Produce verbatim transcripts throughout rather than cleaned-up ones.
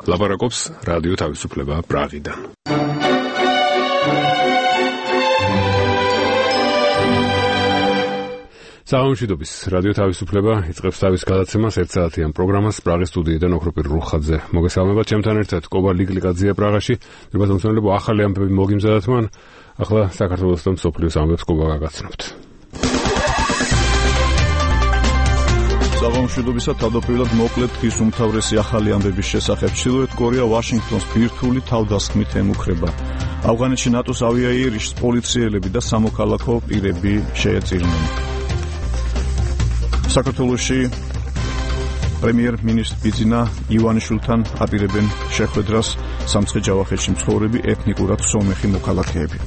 ლაპარაკობს რადიო თავისუფლება პრაღიდან. სამშვიდობის რადიო თავისუფლება იწყებს თავის გადაცემას ერთ საათიან პროგრამას პრაღის სტუდიიდან ოქროპირ რუხაძე. მოგესალმებათ ჩემთან ერთად კობა ლიკლიკაძეა პრაღაში. დრო მოსწავლეებო ახალი ამბები მოგიმზადათ მან. ახლა საქართველოს და მსოფლიოს ამბებს კობა გაგაცნობთ. სამშვიდობისა თავდაპირველად მოკლედ დღის უმთავრესი ახალი ამბების შესახებ. ჩრდილოეთ კორეა ვაშინგტონს ბირთვული თავდასხმით ემუქრება. ავღანეთში ნატოს ავიაიერიშს პოლიციელები და სამოქალაქო პირები შეეწირნენ. საქართველოში პრემიერ-მინისტრ ბიძინა ივანიშვილთან აპირებენ შეხვედრას სამცხე-ჯავახეთში მცხოვრები ეთნიკურად სომეხი მოქალაქეები.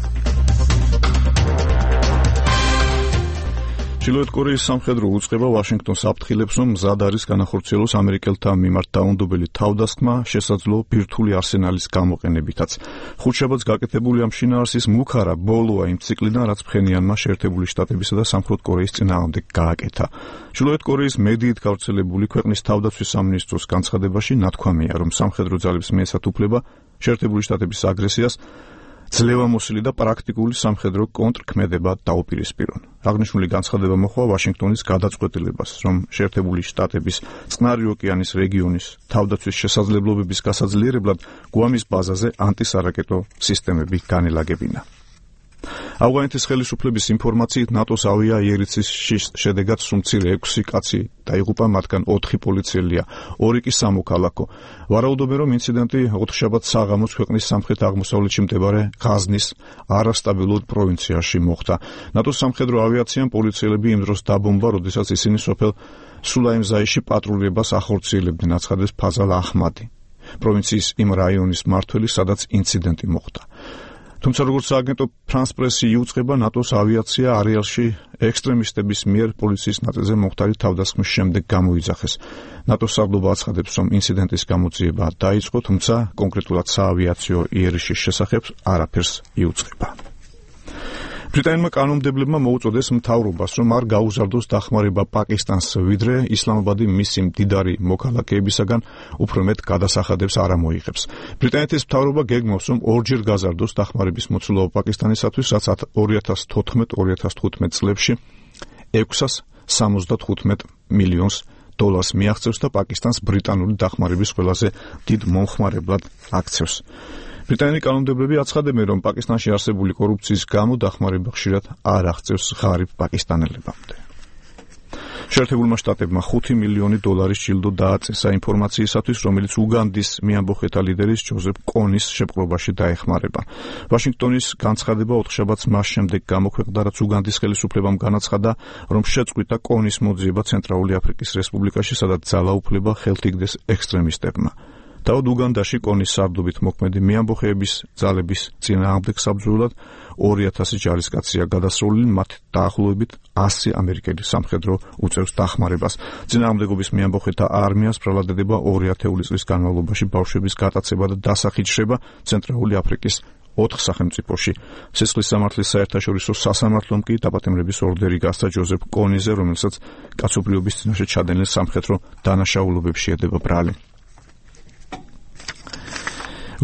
ჩრდილოეთ კორეის სამხედრო უწყება ვაშინგტონს აფრთხილებს, რომ მზად არის განახორციელოს ამერიკელთა მიმართ დაუნდობელი თავდასხმა შესაძლო ბირთვული არსენალის გამოყენებითაც. ხუთშაბათს გაკეთებული ამ შინაარსის მუქარა ბოლოა იმ ციკლიდან, რაც ფხენიანმა შეერთებული შტატებისა და სამხრეთ კორეის წინააღმდეგ გააკეთა. ჩრდილოეთ კორეის მედიით გავრცელებული ქვეყნის თავდაცვის სამინისტროს განცხადებაში ნათქვამია, რომ სამხედრო ძალებს მიეცათ უფლება შეერთებული შტატების აგრესიას ძლევამოსილი და პრაქტიკული სამხედრო კონტრქმედება დაუპირისპირონ. აღნიშნული განცხადება მოჰყვა ვაშინგტონის გადაწყვეტილებას, რომ შეერთებული შტატების წყნარი ოკეანის რეგიონის თავდაცვის შესაძლებლობების გასაძლიერებლად გუამის ბაზაზე ანტისარაკეტო სისტემები განელაგებინა. ავღანეთის ხელისუფლების ინფორმაციით ნატოს ავიაიერიშის შედეგად სუმცირე ექვსი კაცი დაიღუპა, მათგან ოთხი პოლიციელია, ორი კი სამოქალაქო. ვარაუდობენ, რომ ინციდენტი ოთხშაბათს საღამოს ქვეყნის სამხრეთ-აღმოსავლეთში მდებარე ღაზნის არასტაბილურ პროვინციაში მოხდა. ნატოს სამხედრო ავიაციამ პოლიციელები იმ დროს დაბომბა, როდესაც ისინი სოფელ სულაიმზაიში პატრულირებას ახორციელებდნენ, აცხადებს ფაზალ აჰმადი, პროვინციის იმ რაიონის მმართველი, სადაც ინციდენტი მოხდა. თუმცა როგორც სააგენტო ფრანს პრესი იუწყება, ნატოს ავიაცია არეალში ექსტრემისტების მიერ პოლიციის ნაწილზე მომხდარი თავდასხმის შემდეგ გამოიძახეს. ნატოს საგდობა აცხადებს, რომ ინციდენტის გამოძიება დაიწყო, თუმცა კონკრეტულად საავიაციო იერიშის შესახებ არაფერს იუწყება. ბრიტანელმა კანონმდებლებმა მოუწოდეს მთავრობას, რომ არ გაუზარდოს დახმარება პაკისტანს, ვიდრე ისლამაბადი მისი მდიდარი მოქალაქეებისაგან უფრო მეტ გადასახადებს არ ამოიღებს. ბრიტანეთის მთავრობა გეგმავს, რომ ორჯერ გაზარდოს დახმარების მოცულობა პაკისტანისათვის, რაც ორი ათას თოთხმეტ ორი ათას თხუთმეტ წლებში ექვსას სამოცდათხუთმეტ მილიონს დოლარს მიაღწევს და პაკისტანს ბრიტანული დახმარების ყველაზე დიდ მომხმარებლად აქცევს. ბრიტანელი კანონმდებლები აცხადებენ, რომ პაკისტანში არსებული კორუფციის გამო დახმარება ხშირად არ აღწევს ღარიბ პაკისტანელებამდე. შეერთებულმა შტატებმა ხუთი მილიონი დოლარის ჯილდო დააწესა ინფორმაციისათვის, რომელიც უგანდის მეამბოხეთა ლიდერის ჯოზეფ კონის შეპყრობაში დაეხმარება. ვაშინგტონის განცხადება ოთხშაბათს მას შემდეგ გამოქვეყნდა, რაც უგანდის ხელისუფლებამ განაცხადა, რომ შეწყვიტა კონის მოძიება ცენტრალური აფრიკის რესპუბლიკაში, სადაც ძალაუფლება ხელთ იგდეს ექსტრემისტებმა. თავად უგანდაში კონის სარდობით მოქმედი მეამბოხეების ძალების წინააღმდეგ საბრძოლოდ ორი ათასი ჯარისკაცია გადასროლილი, მათ დაახლოებით ასი ამერიკელი სამხედრო უწევს დახმარებას. წინააღმდეგობის მეამბოხეთა არმიას ბრალადდება ორი ათეული წლის განმავლობაში ბავშვების გატაცება და დასახიჩრება ცენტრალური აფრიკის ოთხ სახელმწიფოში. სისხლის სამართლის საერთაშორისო სასამართლომ კი დაპატიმრების ორდერი გასცა ჯოზეფ კონიზე, რომელსაც კაცობრიობის წინაშე ჩადენილ სამხედრო დანაშაულობებში ედება ბრალი.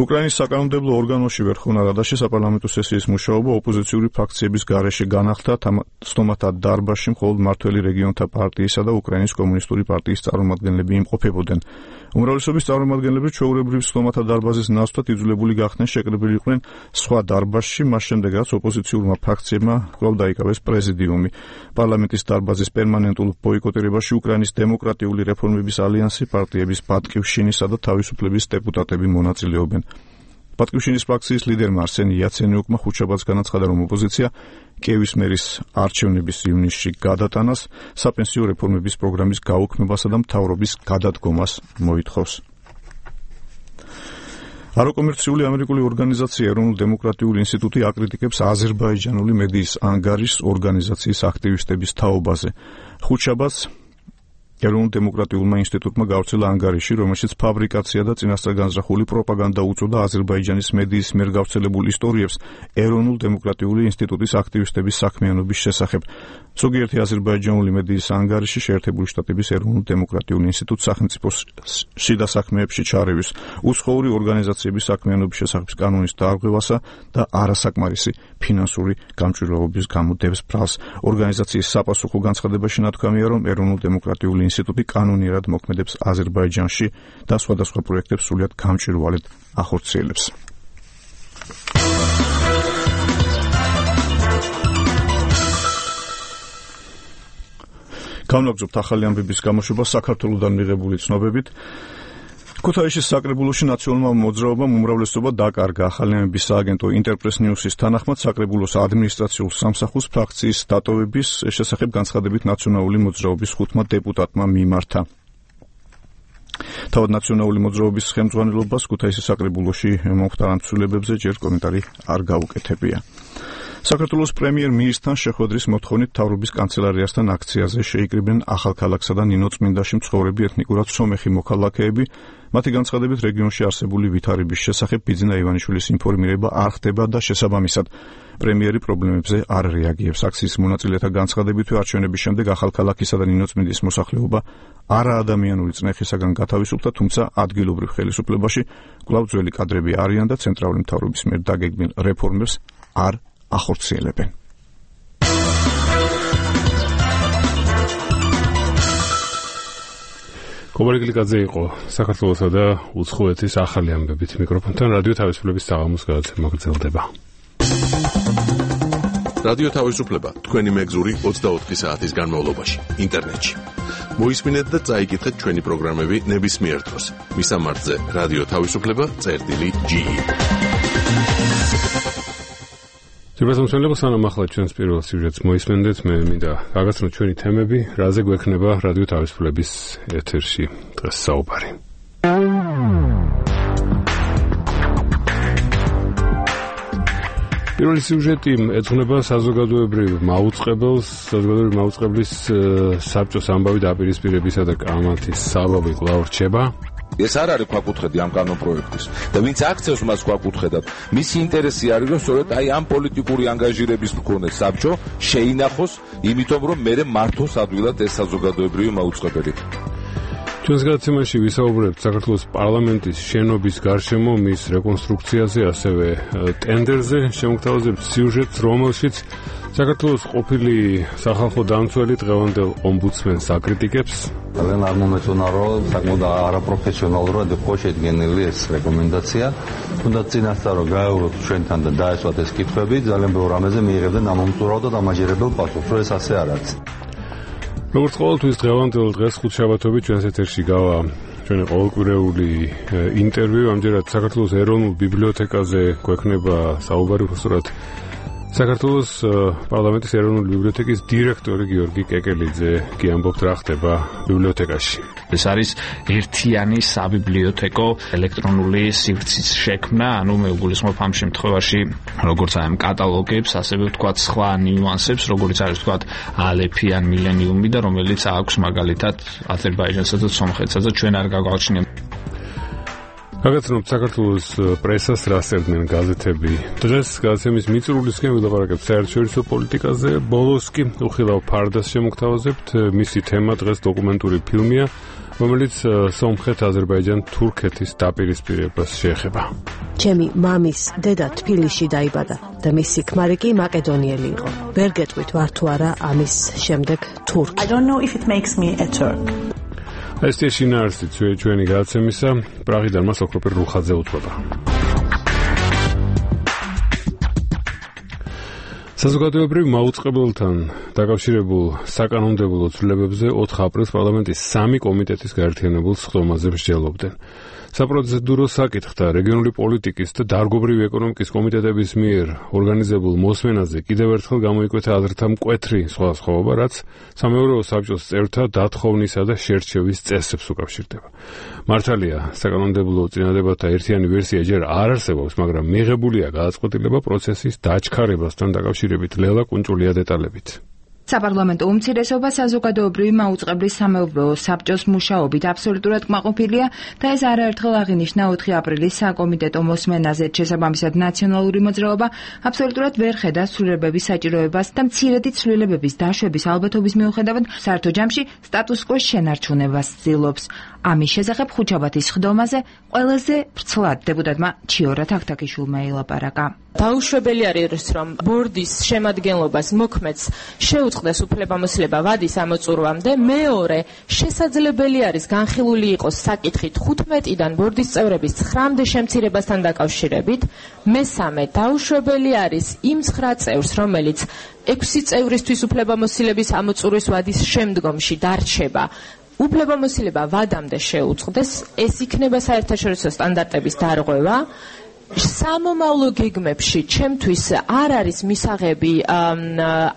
უკრაინის საკანონმდებლო ორგანოში ვერხოვნა რადაში საპარლამენტო სესიის მუშაობა ოპოზიციური ფრაქციების გარეშე განახლდა. სტომათა დარბაზში მხოლოდ მმართველი რეგიონთა პარტიისა და უკრაინის კომუნისტური პარტიის წარმომადგენლები იმყოფებოდნენ. უმრავლესობის წარმომადგენლები ჩვეულებრივ სტომათა დარბაზის ნაცვლად იძულებული გახდნენ შეკრებილი იყვნენ სხვა დარბაზში, მას შემდეგ რაც ოპოზიციურმა ფრაქციებმა კვლავ დაიკავეს პრეზიდიუმი. პარლამენტის დარბაზის პერმანენტულ ბოიკოტირებაში უკრაინის დემოკრატიული რეფორმების ალიანსი, პარტიების ბატკივშინისა და თავისუფლების დეპუტატები მონაწილეობენ. ბატკივშინის ფრაქციის ლიდერმა არსენ იაცენიუკმა ხუთშაბათს განაცხადა, რომ ოპოზიცია კიევის მერის არჩევნების ივნისში გადატანას, საპენსიო რეფორმების პროგრამის გაუქმებასა და მთავრობის გადადგომას მოითხოვს. არაკომერციული ამერიკული ორგანიზაცია ეროვნულ დემოკრატიული ინსტიტუტი აკრიტიკებს აზერბაიჯანული მედიის ანგარის ორგანიზაციის აქტივისტების თაობაზე. ხუთშაბათს ეროვნულ დემოკრატიულმა ინსტიტუტმა გავრცელა ანგარიში, რომელშიც ფაბრიკაცია და წინასწარ განზრახული პროპაგანდა უწოდა აზერბაიჯანის მედიის მიერ გავრცელებულ ისტორიებს ეროვნულ დემოკრატიული ინსტიტუტის აქტივისტების საქმიანობის შესახებ. ზოგიერთი აზერბაიჯანული მედიის ანგარიში შეერთებული შტატების ეროვნულ დემოკრატიულ ინსტიტუტს სახელმწიფოს შიდა საქმეებში ჩარევის, უცხოური ორგანიზაციების საქმიანობის შესახებ კანონის დარღვევასა და არასაკმარისი ფინანსური გამჭვირვალობის გამო დებს ბრალს. ორგანიზაციის საპასუხო განცხადებაში ნათქვამია, რომ ეროვნულ დემოკრატიული ინსტიტუტი კანონიერად მოქმედებს აზერბაიჯანში და სხვადასხვა პროექტებს სრულიად გამჭვირვალედ ახორციელებს. Გამოვაგზავნებთ ახალი ამბების გამოშვება საქართველოსთან მიღებული ცნობებით. ქუთაისის საკრებულოში ნაციონალურმა მოძრაობამ უმრავლესობა დაკარგა. ახალი ამბების სააგენტო ინტერპრეს ნიუსის თანახმად საკრებულოს ადმინისტრაციულ სამსახურს ფრაქციის დატოვების შესახებ განცხადებით ნაციონალური მოძრაობის ხუთმა დეპუტატმა მიმართა. თავად ნაციონალური მოძრაობის ხელმძღვანელობას ქუთაისის საკრებულოში მომხდარ ამ ცვლილებებზე ჯერ კომენტარი არ გაუკეთებია. საქართველოს პრემიერ-მინისტრთან შეხვედრის მოთხოვნით მთავრობის კანცელარიასთან აქციაზე შეიკრიბნენ ახალქალაქსა და ნინოწმინდაში მცხოვრები ეთნიკურად სომეხი მოქალაქეები. მათი განცხადებით რეგიონში არსებული ვითარების შესახებ ბიძინა ივანიშვილის ინფორმირება არ ხდება და შესაბამისად პრემიერი პრობლემებზე არ რეაგირებს. აქციის მონაწილეთა განცხადებითვე არჩევნების შემდეგ ახალქალაქისა და ნინოწმინდის მოსახლეობა არაადამიანური წნეხისაგან გათავისუფლდა, თუმცა ადგილობრივ ხელისუფლებაში კვლავ ძველი კადრები არიან და ცენტრალური მთავრობის მიერ დაგეგმილ რეფორმებს არ ახორციელებენ. კობალიკლიკაძე იყო საქართველოსა და უცხოეთის ახალი ამბებით მიკროფონთან რადიო თავისუფლების საღამოს გადაცემა გრძელდება. რადიო თავისუფლება თქვენი მეგზური ოცდაოთხი საათის განმავლობაში ინტერნეტში. მოისმინეთ და წაიკითხეთ ჩვენი პროგრამები ნებისმიერ დროს. მისამართზე რადიო თავისუფლება წერტილი ჯი. ძირფასმომცემლები სანამ ახლა ჩვენს პირველ სიუჟეტს მოისმენდეთ, მე მინდა გაგაცნოთ ჩვენი თემები, რაზე გვექნება რადიო თავისუფლების ეთერში დღეს საუბარი. პირველი სიუჟეტი ეძღვნება საზოგადოებრივ მაუწყებელს, საზოგადოებრივი მაუწყებლის საბჭოს ამბავი დაპირისპირებისა და კამათის საბაბი კვლავ რჩება. ეს არ არის ქვაკუთხედი ამ კანონპროექტის და ვინც აქცევს მას ქვაკუთხედად, მისი ინტერესი არის, რომ სწორედ აი ამ პოლიტიკური ანგაჟირების მქონე საბჭო შეინახოს, იმიტომ რომ მერე მართოს ადვილად ეს საზოგადოებრივი მაუწყებელი. ჩვენს გადაცემაში ვისაუბრებთ საქართველოს პარლამენტის შენობის გარშემო მის რეკონსტრუქციაზე, ასევე ტენდერზე, შემოგთავაზებთ სიუჟეტს, რომელშიც საქართველოს ყოფილი სახალხო დამცველი დღევანდელ ომბუდსმენს აკრიტიკებს. ძალიან არ მომეწონა, რომ საკმაოდ არაპროფესიონალურად იყო შედგენილი ეს რეკომენდაცია. თუნდაც წინასწარ რომ გაევროთ ჩვენთან და დაესვათ ეს კითხვები, ძალიან ბევრ რამეზე მიიღებდნენ ამომწურავ და დამაჯერებელ პასუხს, რომ ეს ასე არ არის. როგორც ყოველთვის დღევანდელ დღეს ხუთშაბათობით ჩვენს ეთერში გავა ჩვენი ყოველკვირეული ინტერვიუ. ამჯერად საქართველოს ეროვნულ ბიბლიოთეკაზე გვექნება საუბარი, უბრალოდ საქართველოს პარლამენტის ეროვნული ბიბლიოთეკის დირექტორი გიორგი კეკელიძე კი ამბობთ რა ხდება ბიბლიოთეკაში. ეს არის ერთიანი საბიბლიოთეკო ელექტრონული სივრცის შექმნა, ანუ მე გულისხმობ ამ შემთხვევაში როგორც აი ამ კატალოგებს, ასევე ვთქვათ სხვა ნიუანსებს, როგორც არის ვთქვათ ალეფი ან მილენიუმი და რომელიც აქვს მაგალითად აზერბაიჯანსა და სომხეთსა და ჩვენ არ გაგვაჩნია. გაგაცნობთ საქართველოს პრესას რა წერდნენ გაზეთები. დღეს გადაცემის მიწურულისკენ ვილაპარაკებთ საერთაშორისო პოლიტიკაზე, ბოლოს კი უხილავ ფარდას შემოგთავაზებთ. მისი თემა დღეს დოკუმენტური ფილმია, რომელიც სომხეთ-აზერბაიჯან-თურქეთის დაპირისპირებას შეეხება. ჩემი მამის დედა თბილისში დაიბადა და მისი ქმარი კი მაკედონიელი იყო. ვერ გეტყვით ვარ თუ არა ამის შემდეგ თურქი. I don't know if it makes me a Turk. ეს შეინარსი ჩვენი გადაცემისა, პრაღიდან მას ოქროპერ რუხაძე უთხრობა. საზოგადოებრივ მაუწყებელთან დაკავშირებულ საკანონმდებლო ცვლილებებზე ოთხ აპრილს პარლამენტის სამი კომიტეტის გაერთიანებულ სხდომაზე მსჯელობდნენ. საპროცედურო საკითხთა რეგიონული პოლიტიკის და დარგობრივი ეკონომიკის კომიტეტების მიერ ორგანიზებულ მოსმენაზე კიდევ ერთხელ გამოიკვეთა აზრთა მკვეთრი სხვადასხვაობა, რაც სამეურვეო საბჭოს წევრთა დათხოვნისა და შერჩევის წესებს უკავშირდება. მართალია, საკანონმდებლო წინადებათა ერთიანი ვერსია ჯერ არ არსებობს, მაგრამ მიღებულია გადაწყვეტილება პროცესის დაჩქარებასთან დაკავშირებით. ლელა კუნჭულია დეტალებით. საპარლამენტო უმცირესობა საზოგადოებრივი მაუწყებლის სამეურვეო საბჭოს მუშაობით აბსოლუტურად კმაყოფილია და ეს არაერთხელ აღინიშნა ოთხი აპრილის საკომიტეტო მოსმენაზე. შესაბამისად, ნაციონალური მოძრაობა აბსოლუტურად ვერ ხედავს ცვლილებების საჭიროებას და მცირედი ცვლილებების დაშვების ალბათობის მიუხედავად საერთო ჯამში სტატუს-კვოს შენარჩუნებას ცდილობს. ამის შესახებ ხუთშაბათის ხდომაზე ყველაზე ვრცლად დეპუტატმა ჩიორა თაქთაქიშვილმა ელაპარაკა. დაუშვებელი არის, რომ ბორდის შემადგენლობას მოქმედს შეუწყდეს უფლებამოსილება ვადის ამოწურვამდე. მეორე, შესაძლებელი არის განხილული იყოს საკითხი თხუთმეტიდან ბორდის წევრების ცხრამდე შემცირებასთან დაკავშირებით. მესამე, დაუშვებელი არის იმ ცხრა წევრს, რომელიც ექვსი წევრისთვის უფლებამოსილების ამოწურვის ვადის შემდგომში დარჩება, უფლებამოსილება ვადამდე შეუწყდეს. ეს იქნება საერთაშორისო სტანდარტების დარღვევა. სამომავლო გეგმებში ჩემთვის არ არის მისაღები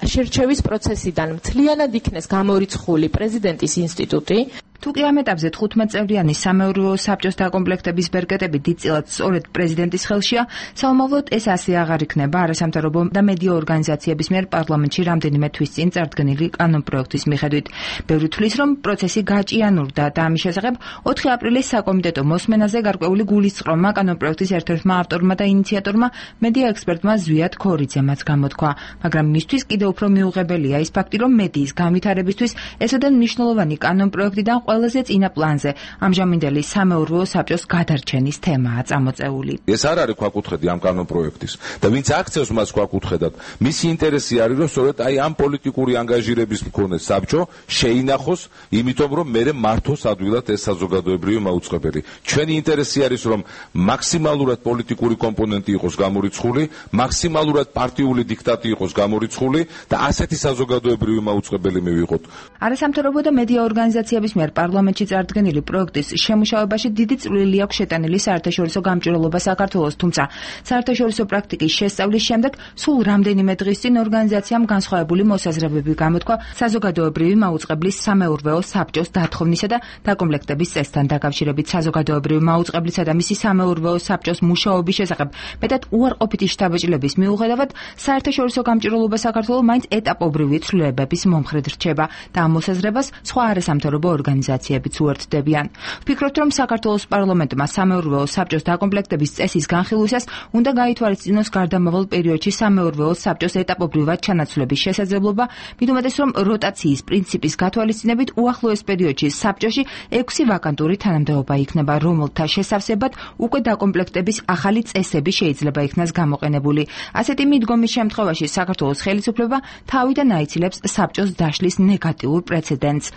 შერჩევის პროცესიდან მთლიანად იქნეს გამორიცხული პრეზიდენტის ინსტიტუტი. თუკი ამ ეტაპზე თხუთმეტწევრიანი სამეურვეო საბჭოს დაკომპლექტების ბერკეტები დიდწილად სწორედ პრეზიდენტის ხელშია, საომავლოდ ეს ასე აღარ იქნება არასამთავრობო და მედია ორგანიზაციების მიერ პარლამენტში რამდენიმე თვის წინ წარდგენილი კანონპროექტის მიხედვით. ბევრი თვლის, რომ პროცესი გაჭიანურდა და ამის შესახებ ოთხი აპრილის საკომიტეტო მოსმენაზე გარკვეული გულისწყრომა კანონპროექტის ერთ-ერთმა ავტორმა და ინიციატორმა მედია ექსპერტმა ზვიად ქორიძემაც გამოთქვა, მაგრამ მისთვის კიდევ უფრო მიუღებელია ის ფაქტი, რომ მედიის განვითარებისთვის ესოდენ მნიშვნელოვანი კანონპროექტიდან ყველაზე წინა პლანზე ამჟამინდელი სამეურვეო საბჭოს გადარჩენის თემაა წამოწეული. ეს არ არის ქვაკუთხედი ამ კანონპროექტის და ვინც აქცევს მას ქვაკუთხედად, მისი ინტერესი არის, რომ სწორედ აი ამ პოლიტიკური ანგაჟირების მქონე საბჭო შეინახოს, იმიტომ რომ მერე მართოს ადვილად ეს საზოგადოებრივი მაუწყებელი. ჩვენი ინტერესი არის, რომ მაქსიმალურად პოლიტიკური კომპონენტი იყოს გამორიცხული, მაქსიმალურად პარტიული დიქტატი იყოს გამორიცხული და ასეთი საზოგადოებრივი მაუწყებელი მივიღოთ. არასამთავრობო და მედია ორგანიზაციების მიერ პარლამენტში წარდგენილი პროექტის შემუშავებაში დიდი წვლილი აქვს შეტანილი საერთაშორისო გამჭვირვალობა საქართველოს, თუმცა საერთაშორისო პრაქტიკის შესწავლის შემდეგ სულ რამდენიმე დღის წინ ორგანიზაციამ განსხვავებული მოსაზრებები გამოთქვა საზოგადოებრივი მაუწყებლის სამეურვეო საბჭოს დათხოვნისა და დაკომპლექტების წესთან დაკავშირებით. საზოგადოებრივი მაუწყებლისა და მისი სამეურვეო საბჭოს მუშაობის შესახებ მეტად უარყოფითი შთაბეჭდილების მიუხედავად საერთაშორისო გამჭვირვალობა საქართველოს მაინც ეტაპობრივი ცვლილებების მომხრედ რჩება და ამ მოსაზრებას სხვა არასამთავრობო ორგანიზაციებიც უერთდებიან. ვფიქრობთ, რომ საქართველოს პარლამენტმა სამეურვეო საბჭოს დაკომპლექტების წესის განხილვისას უნდა გაითვალისწინოს გარდამავალ პერიოდში სამეურვეო საბჭოს ეტაპობრივად ჩანაცვლების შესაძლებლობა, მით უმეტეს, რომ როტაციის პრინციპის გათვალისწინებით უახლოეს პერიოდში საბჭოში ექვსი ვაკანტური თანამდებობა იქნება, რომელთა შესავსებად უკვე დაკომპლექტების ახალი წესები შეიძლება იქნას გამოყენებული. ასეთი მიდგომის შემთხვევაში საქართველოს ხელისუფლება თავიდან აიცილებს საბჭოს დაშლის ნეგატიურ პრეცედენტს.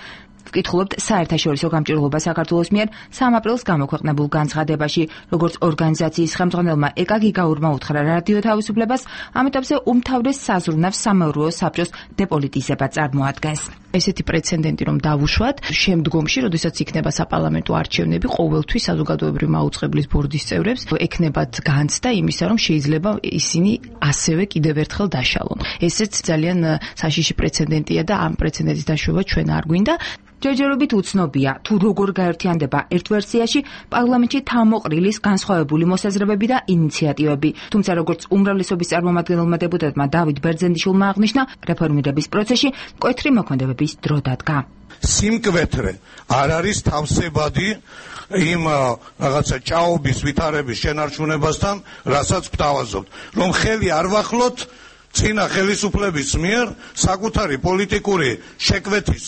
ვკითხულობთ საერთაშორისო გამჭვირვალობა საქართველოს მიერ სამ აპრილს გამოქვეყნებულ განცხადებაში, როგორც ორგანიზაციის ხელმძღვანელმა ეკა გიგაურმა უთხრა რადიო თავისუფლებას, ამ ეტაპზე უმთავრეს საზრუნავს სამეურვეო საბჭოს დეპოლიტიზება წარმოადგენს. ესეთი პრეცედენტი რომ დავუშვათ, შემდგომში, როდესაც იქნება საპარლამენტო არჩევნები, ყოველთვის საზოგადოებრივი მაუწყებლის ბორდის წევრებს ექნებათ განცდა იმისა, რომ შეიძლება ისინი ასევე კიდევ ერთხელ დაშალონ. ესეც ძალიან საშიში პრეცედენტია და ამ პრეცედენტის დაშვება ჩვენ არ გვინდა. ჯერჯერობით უცნობია, თუ როგორ გაერთიანდება ერთ ვერსიაში პარლამენტში თავმოყრილის განსხვავებული მოსაზრებები და ინიციატივები. თუმცა როგორც უმრავლესობის წარმომადგენელმა დეპუტატმა დავით ბერძენიშვილმა აღნიშნა, რეფორმირების პროცესში მკვეთრი მოქმედებების დრო დადგა. სიმკვეთრე არ არის თავსებადი იმ რაღაცა ჭაობის ვითარების შენარჩუნებასთან, რასაც გვთავაზობთ, რომ ხელი არ ვახლოთ წინა ხელისუფლების მიერ საკუთარი პოლიტიკური შეკვეთის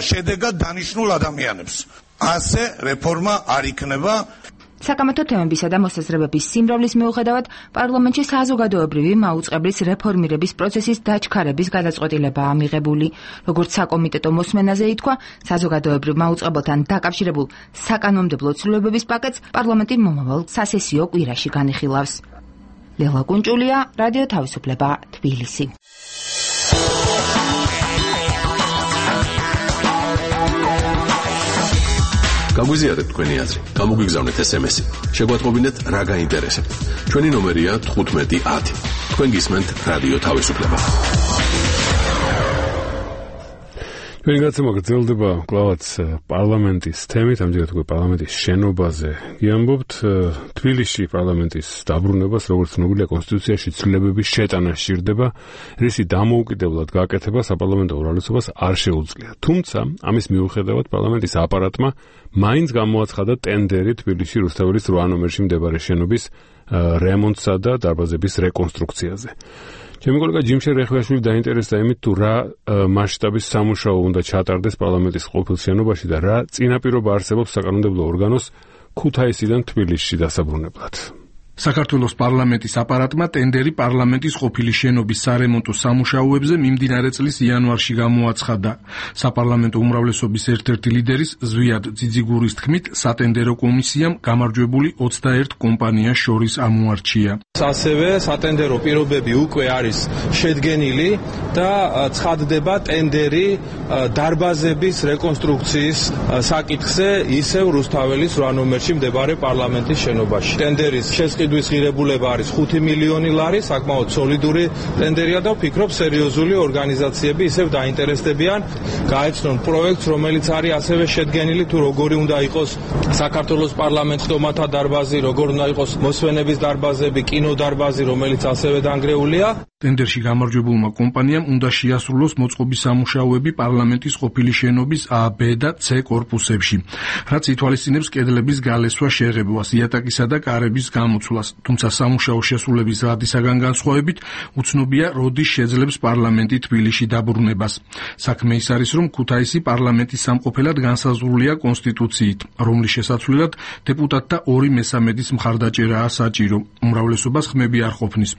შედეგად დანიშნულ ადამიანებს. ასე რეფორმა არ იქნება. საკამათო თემებისა და მოსაზრებების სიმრავლის მიუხედავად, პარლამენტში საზოგადოებრივი მაუწყებლის რეფორმირების პროცესის დაჩქარების გადაწყვეტილებაა მიღებული. როგორც საკომიტეტო მოსმენაზე ითქვა, საზოგადოებრივ მაუწყებელთან დაკავშირებულ საკანონმდებლო ცვლილებების პაკეტს პარლამენტი მომავალ სასესიო კვირაში განიხილავს. ლელა კუნჭულია, რადიო თავისუფლება, თბილისი. გაგვიზიარეთ თქვენი აზრი, გამოგვიგზავნეთ ესემესი. შეგვატყობინეთ რა გაინტერესებთ. ჩვენი ნომერია თხუთმეტი ათი. თქვენ გისმენთ რადიო თავისუფლება. ჩვენი გაცემა გრძელდება კვლავაც პარლამენტის თემით, ამჯერად უკვე პარლამენტის შენობაზე გიამბობთ. თბილისში პარლამენტის დაბრუნებას, როგორც ცნობილია, კონსტიტუციაში ცვლილებების შეტანა სჭირდება, რისი დამოუკიდებლად გაკეთება საპარლამენტო უმრავლესობას არ შეუძლია. თუმცა, ამის მიუხედავად პარლამენტის აპარატმა მაინც გამოაცხადა ტენდერი თბილისში რუსთაველის რვა ნომერში მდებარე შენობის რემონტსა და დარბაზების რეკონსტრუქციაზე. ჩემი კოლეგა ჯიმშე რეხვიაშვილი დაინტერესდა იმით, თუ რა მასშტაბის სამუშაო უნდა ჩატარდეს პარლამენტის ყოფილ შენობაში და რა წინაპირობა არსებობს საკანონმდებლო ორგანოს ქუთაისიდან თბილისში დასაბრუნებლად. საქართველოს პარლამენტის აპარატმა ტენდერი პარლამენტის ყოფილი შენობის სარემონტო სამუშაოებზე მიმდინარე წლის იანვარში გამოაცხადა. საპარლამენტო უმრავლესობის ერთ-ერთი ლიდერის ზვიად ძიძიგურის თქმით, სატენდერო კომისიამ გამარჯვებული ოცდაერთ კომპანიას შორის ამოარჩია. ასევე სატენდერო პირობები უკვე არის შედგენილი და ცხადდება ტენდერი დარბაზების რეკონსტრუქციის საკითხზე ისევ რუსთაველის რვა ნომერში მდებარე პარლამენტის შენობაში. ტენდერის შესყიდვის ღირებულება არის ხუთი მილიონი ლარი, საკმაოდ სოლიდური ტენდერია და ვფიქრობ სერიოზული ორგანიზაციები ისევ დაინტერესდებიან გაეცნონ პროექტს, რომელიც არის ასევე შედგენილი, თუ როგორი უნდა იყოს საქართველოს პარლამენტის სტომათა დარბაზი, როგორ უნდა იყოს მოსვენების დარბაზები, კინოდარბაზი, რომელიც ასევე დანგრეულია. ტენდერში გამარჯვებულმა კომპანიამ უნდა შეასრულოს მოწყობის სამუშაოები პარლამენტის ყოფილი შენობის A, B და C კორპუსებში, რაც ითვალისწინებს კედლების გალესვა, შეღებვას, იატაკისა და კარების გამოცვლას. თუმცა სამუშაო შესრულების დადისაგან განსხვავებით უცნობია, როდის შეძლებს პარლამენტი თბილისში დაბრუნებას. საქმე ის არის, რომ ქუთაისი პარლამენტის სამყოფელად განსაზღვრულია კონსტიტუციით, რომლის შესაცვლელად დეპუტატთა ორი მესამედის მხარდაჭერაა საჭირო. უმრავლესობას ხმები არ ყოფნის.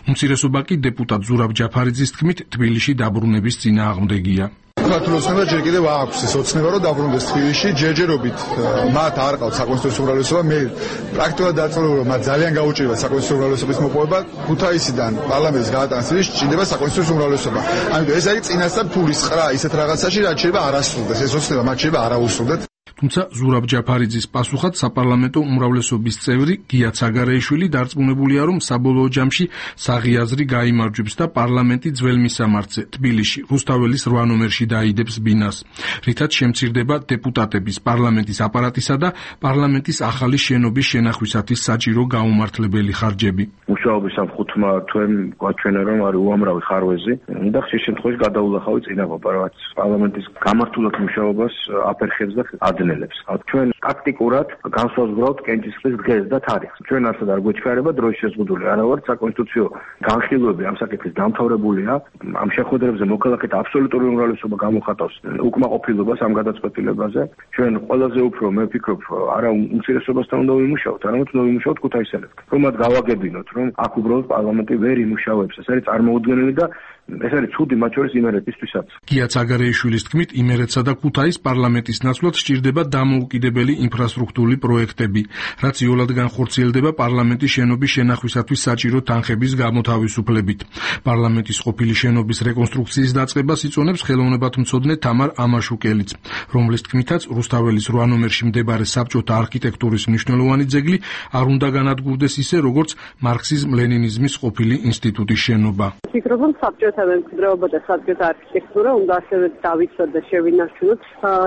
უმცირესობა კი დეპუტატ ზურაბ ჯაფარიძის თქმით თბილისში დაბრუნების წინააღმდეგია. საქართველოსმა ჯერ კიდევ აქვს ეს ოცნება, რომ დაბრუნდეს თბილისში, ჯერჯერობით მათ არ ყავთ საკონსტიტუციო უმრავლესობა. მე პრაქტიკულად დარწმუნებული რომ მათ ძალიან გაუჭირებათ საკონსტიტუციო უმრავლესობის მოპოვება. ქუთაისიდან პარლამენტის გადატანის წინაშე ჭირდება საკონსტიტუციო უმრავლესობა. ამიტომ ეს არის წინასწარ ფულის ყრა ისეთ რაღაცაში, რაც შეიძლება არ ასრულდეს. ეს ოცნება მათ შეიძლება არ აუსრულდეთ. თუმცა ზურაბ ჯაფარიძის პასუხად საპარლამენტო უმრავლესობის წევრი გია ცაგარეიშვილი დარწმუნებულია, რომ საბოლოო ჯამში საღიაზრი გაიმარჯვებს და პარლამენტი ძველ მისამართზე თბილისში რუსთაველის რვა ნომერში დაიდებს ბინას, რითაც შემცირდება დეპუტატების, პარლამენტის აპარატისა და პარლამენტის ახალი შენობის შენახვისათვის საჭირო გაუმართლებელი ხარჯები. მუშაობის ამ ხუთმა თვემ გვაჩვენა, რომ არის უამრავი ხარვეზი და ხშირ შემთხვევაში გადაულახავი წინაღობა, რაც პარლამენტის გამართულად მუშაობას აფერხებს და ადნელებს. ჩვენ ტაქტიკურად განსაზღვრავთ კენჭისყრის დღეს და თარიღს. ჩვენ ასად არ გვეჩქარება დროის შეზღუდული. არა ვარ საკონსტიტუციო განხილვები ამ საკითხის დამთავრებულია. ამ შეხვედრებზე მოქალაქეთა აბსოლუტური უმრავლესობა გამოხატავს უკმაყოფილებას ამ გადაწყვეტილებაზე. ჩვენ ყველაზე უფრო მე ვფიქრობ, არა უმცირესობასთან უნდა ვიმუშაოთ, არამედ უნდა ვიმუშაოთ ქუთაისელებთან. რომ მათ გავაგებინოთ, რომ აქ უბრალოდ პარლამენტი ვერ იმუშავებს. ეს არის წარმოუდგენელი და ეს არის ცუდი მათ შორის იმერეთისთვისაც. გია ცაგარეიშვილის თქმით, იმერეთსა და ქუთაის პარლამენტის ნაცვლად სჭირდება დამოუკიდებელი ინფრასტრუქტურული პროექტები, რაც იოლად განხორციელდება პარლამენტის შენობის შენახვისათვის საჭირო თანხების გამოთავისუფლებით. პარლამენტის ყოფილი შენობის რეკონსტრუქციის დაწყებას იწონებს ხელოვნებათმცოდნე თამარ ამაშუკელიც, რომლის თქმითაც რუსთაველის რვა ნომერში მდებარე საბჭოთა არქიტექტურის მნიშვნელოვანი ძეგლი არ უნდა განადგურდეს ისე, როგორც მარქსიზმ-ლენინიზმის ყოფილი ინსტიტუტის შენობა. ვფიქრობ, რომ საბჭოთა მემკვიდრეობა და საბჭოთა არქიტექტურა უნდა ასევე დავიცვათ და შევინარჩუნოთ.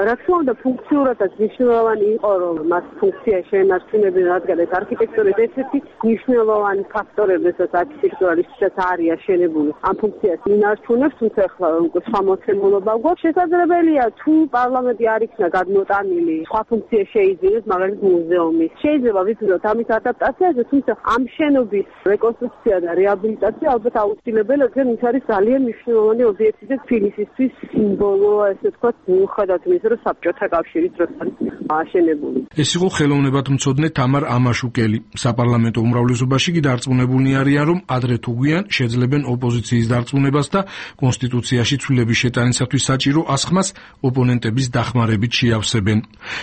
რა თქმა უნდა, ფუნქციურადაც მნიშვნელოვანი იყო, რომ მას ფუნქცია შეენარჩუნებინა, რადგან ეს არქიტექტურის ერთ-ერთი მნიშვნელოვანი ფაქტორები, რასაც არქიტექტურა ისედაც არის აშენებული. ამ ფუნქციას ინარჩუნებს, თუმცა ახლა სხვა მოცემულობა გვაქვს. შესაძლებელია, თუ პარლამენტი არ იქნა გადმოტანილი, სხვა ფუნქცია შეიძინოს, მაგალითად მუზეუმის. შეიძლება ვიცოდოთ ამის ადაპტაციაზე, თუმცა ამ შენობის რეკონსტრუქცია და რეაბილიტაცია ალბათ აუცილებელია, რადგან ის არის ძალიან მნიშვნელოვანი ობიექტი და თბილისისთვის სიმბოლო, ესე ვთქვათ, მიუხედავად იმისა, რომ საბჭოთა კავშირის დროს არის აშენებული. ეს იყო ხელოვნებათმცოდნე თამარ ამაშუკელი. საპარლამენტო უმრავლესობაში კი დარწმუნებულნი არიან, რომ ადრე თუ გვიან შეძლებენ ოპოზიციის დარწმუნებას და კონსტიტუციაში ცვლილების შეტანისათვის საჭირო ასხმას ოპონენტების დახმარებით შეავსებენ.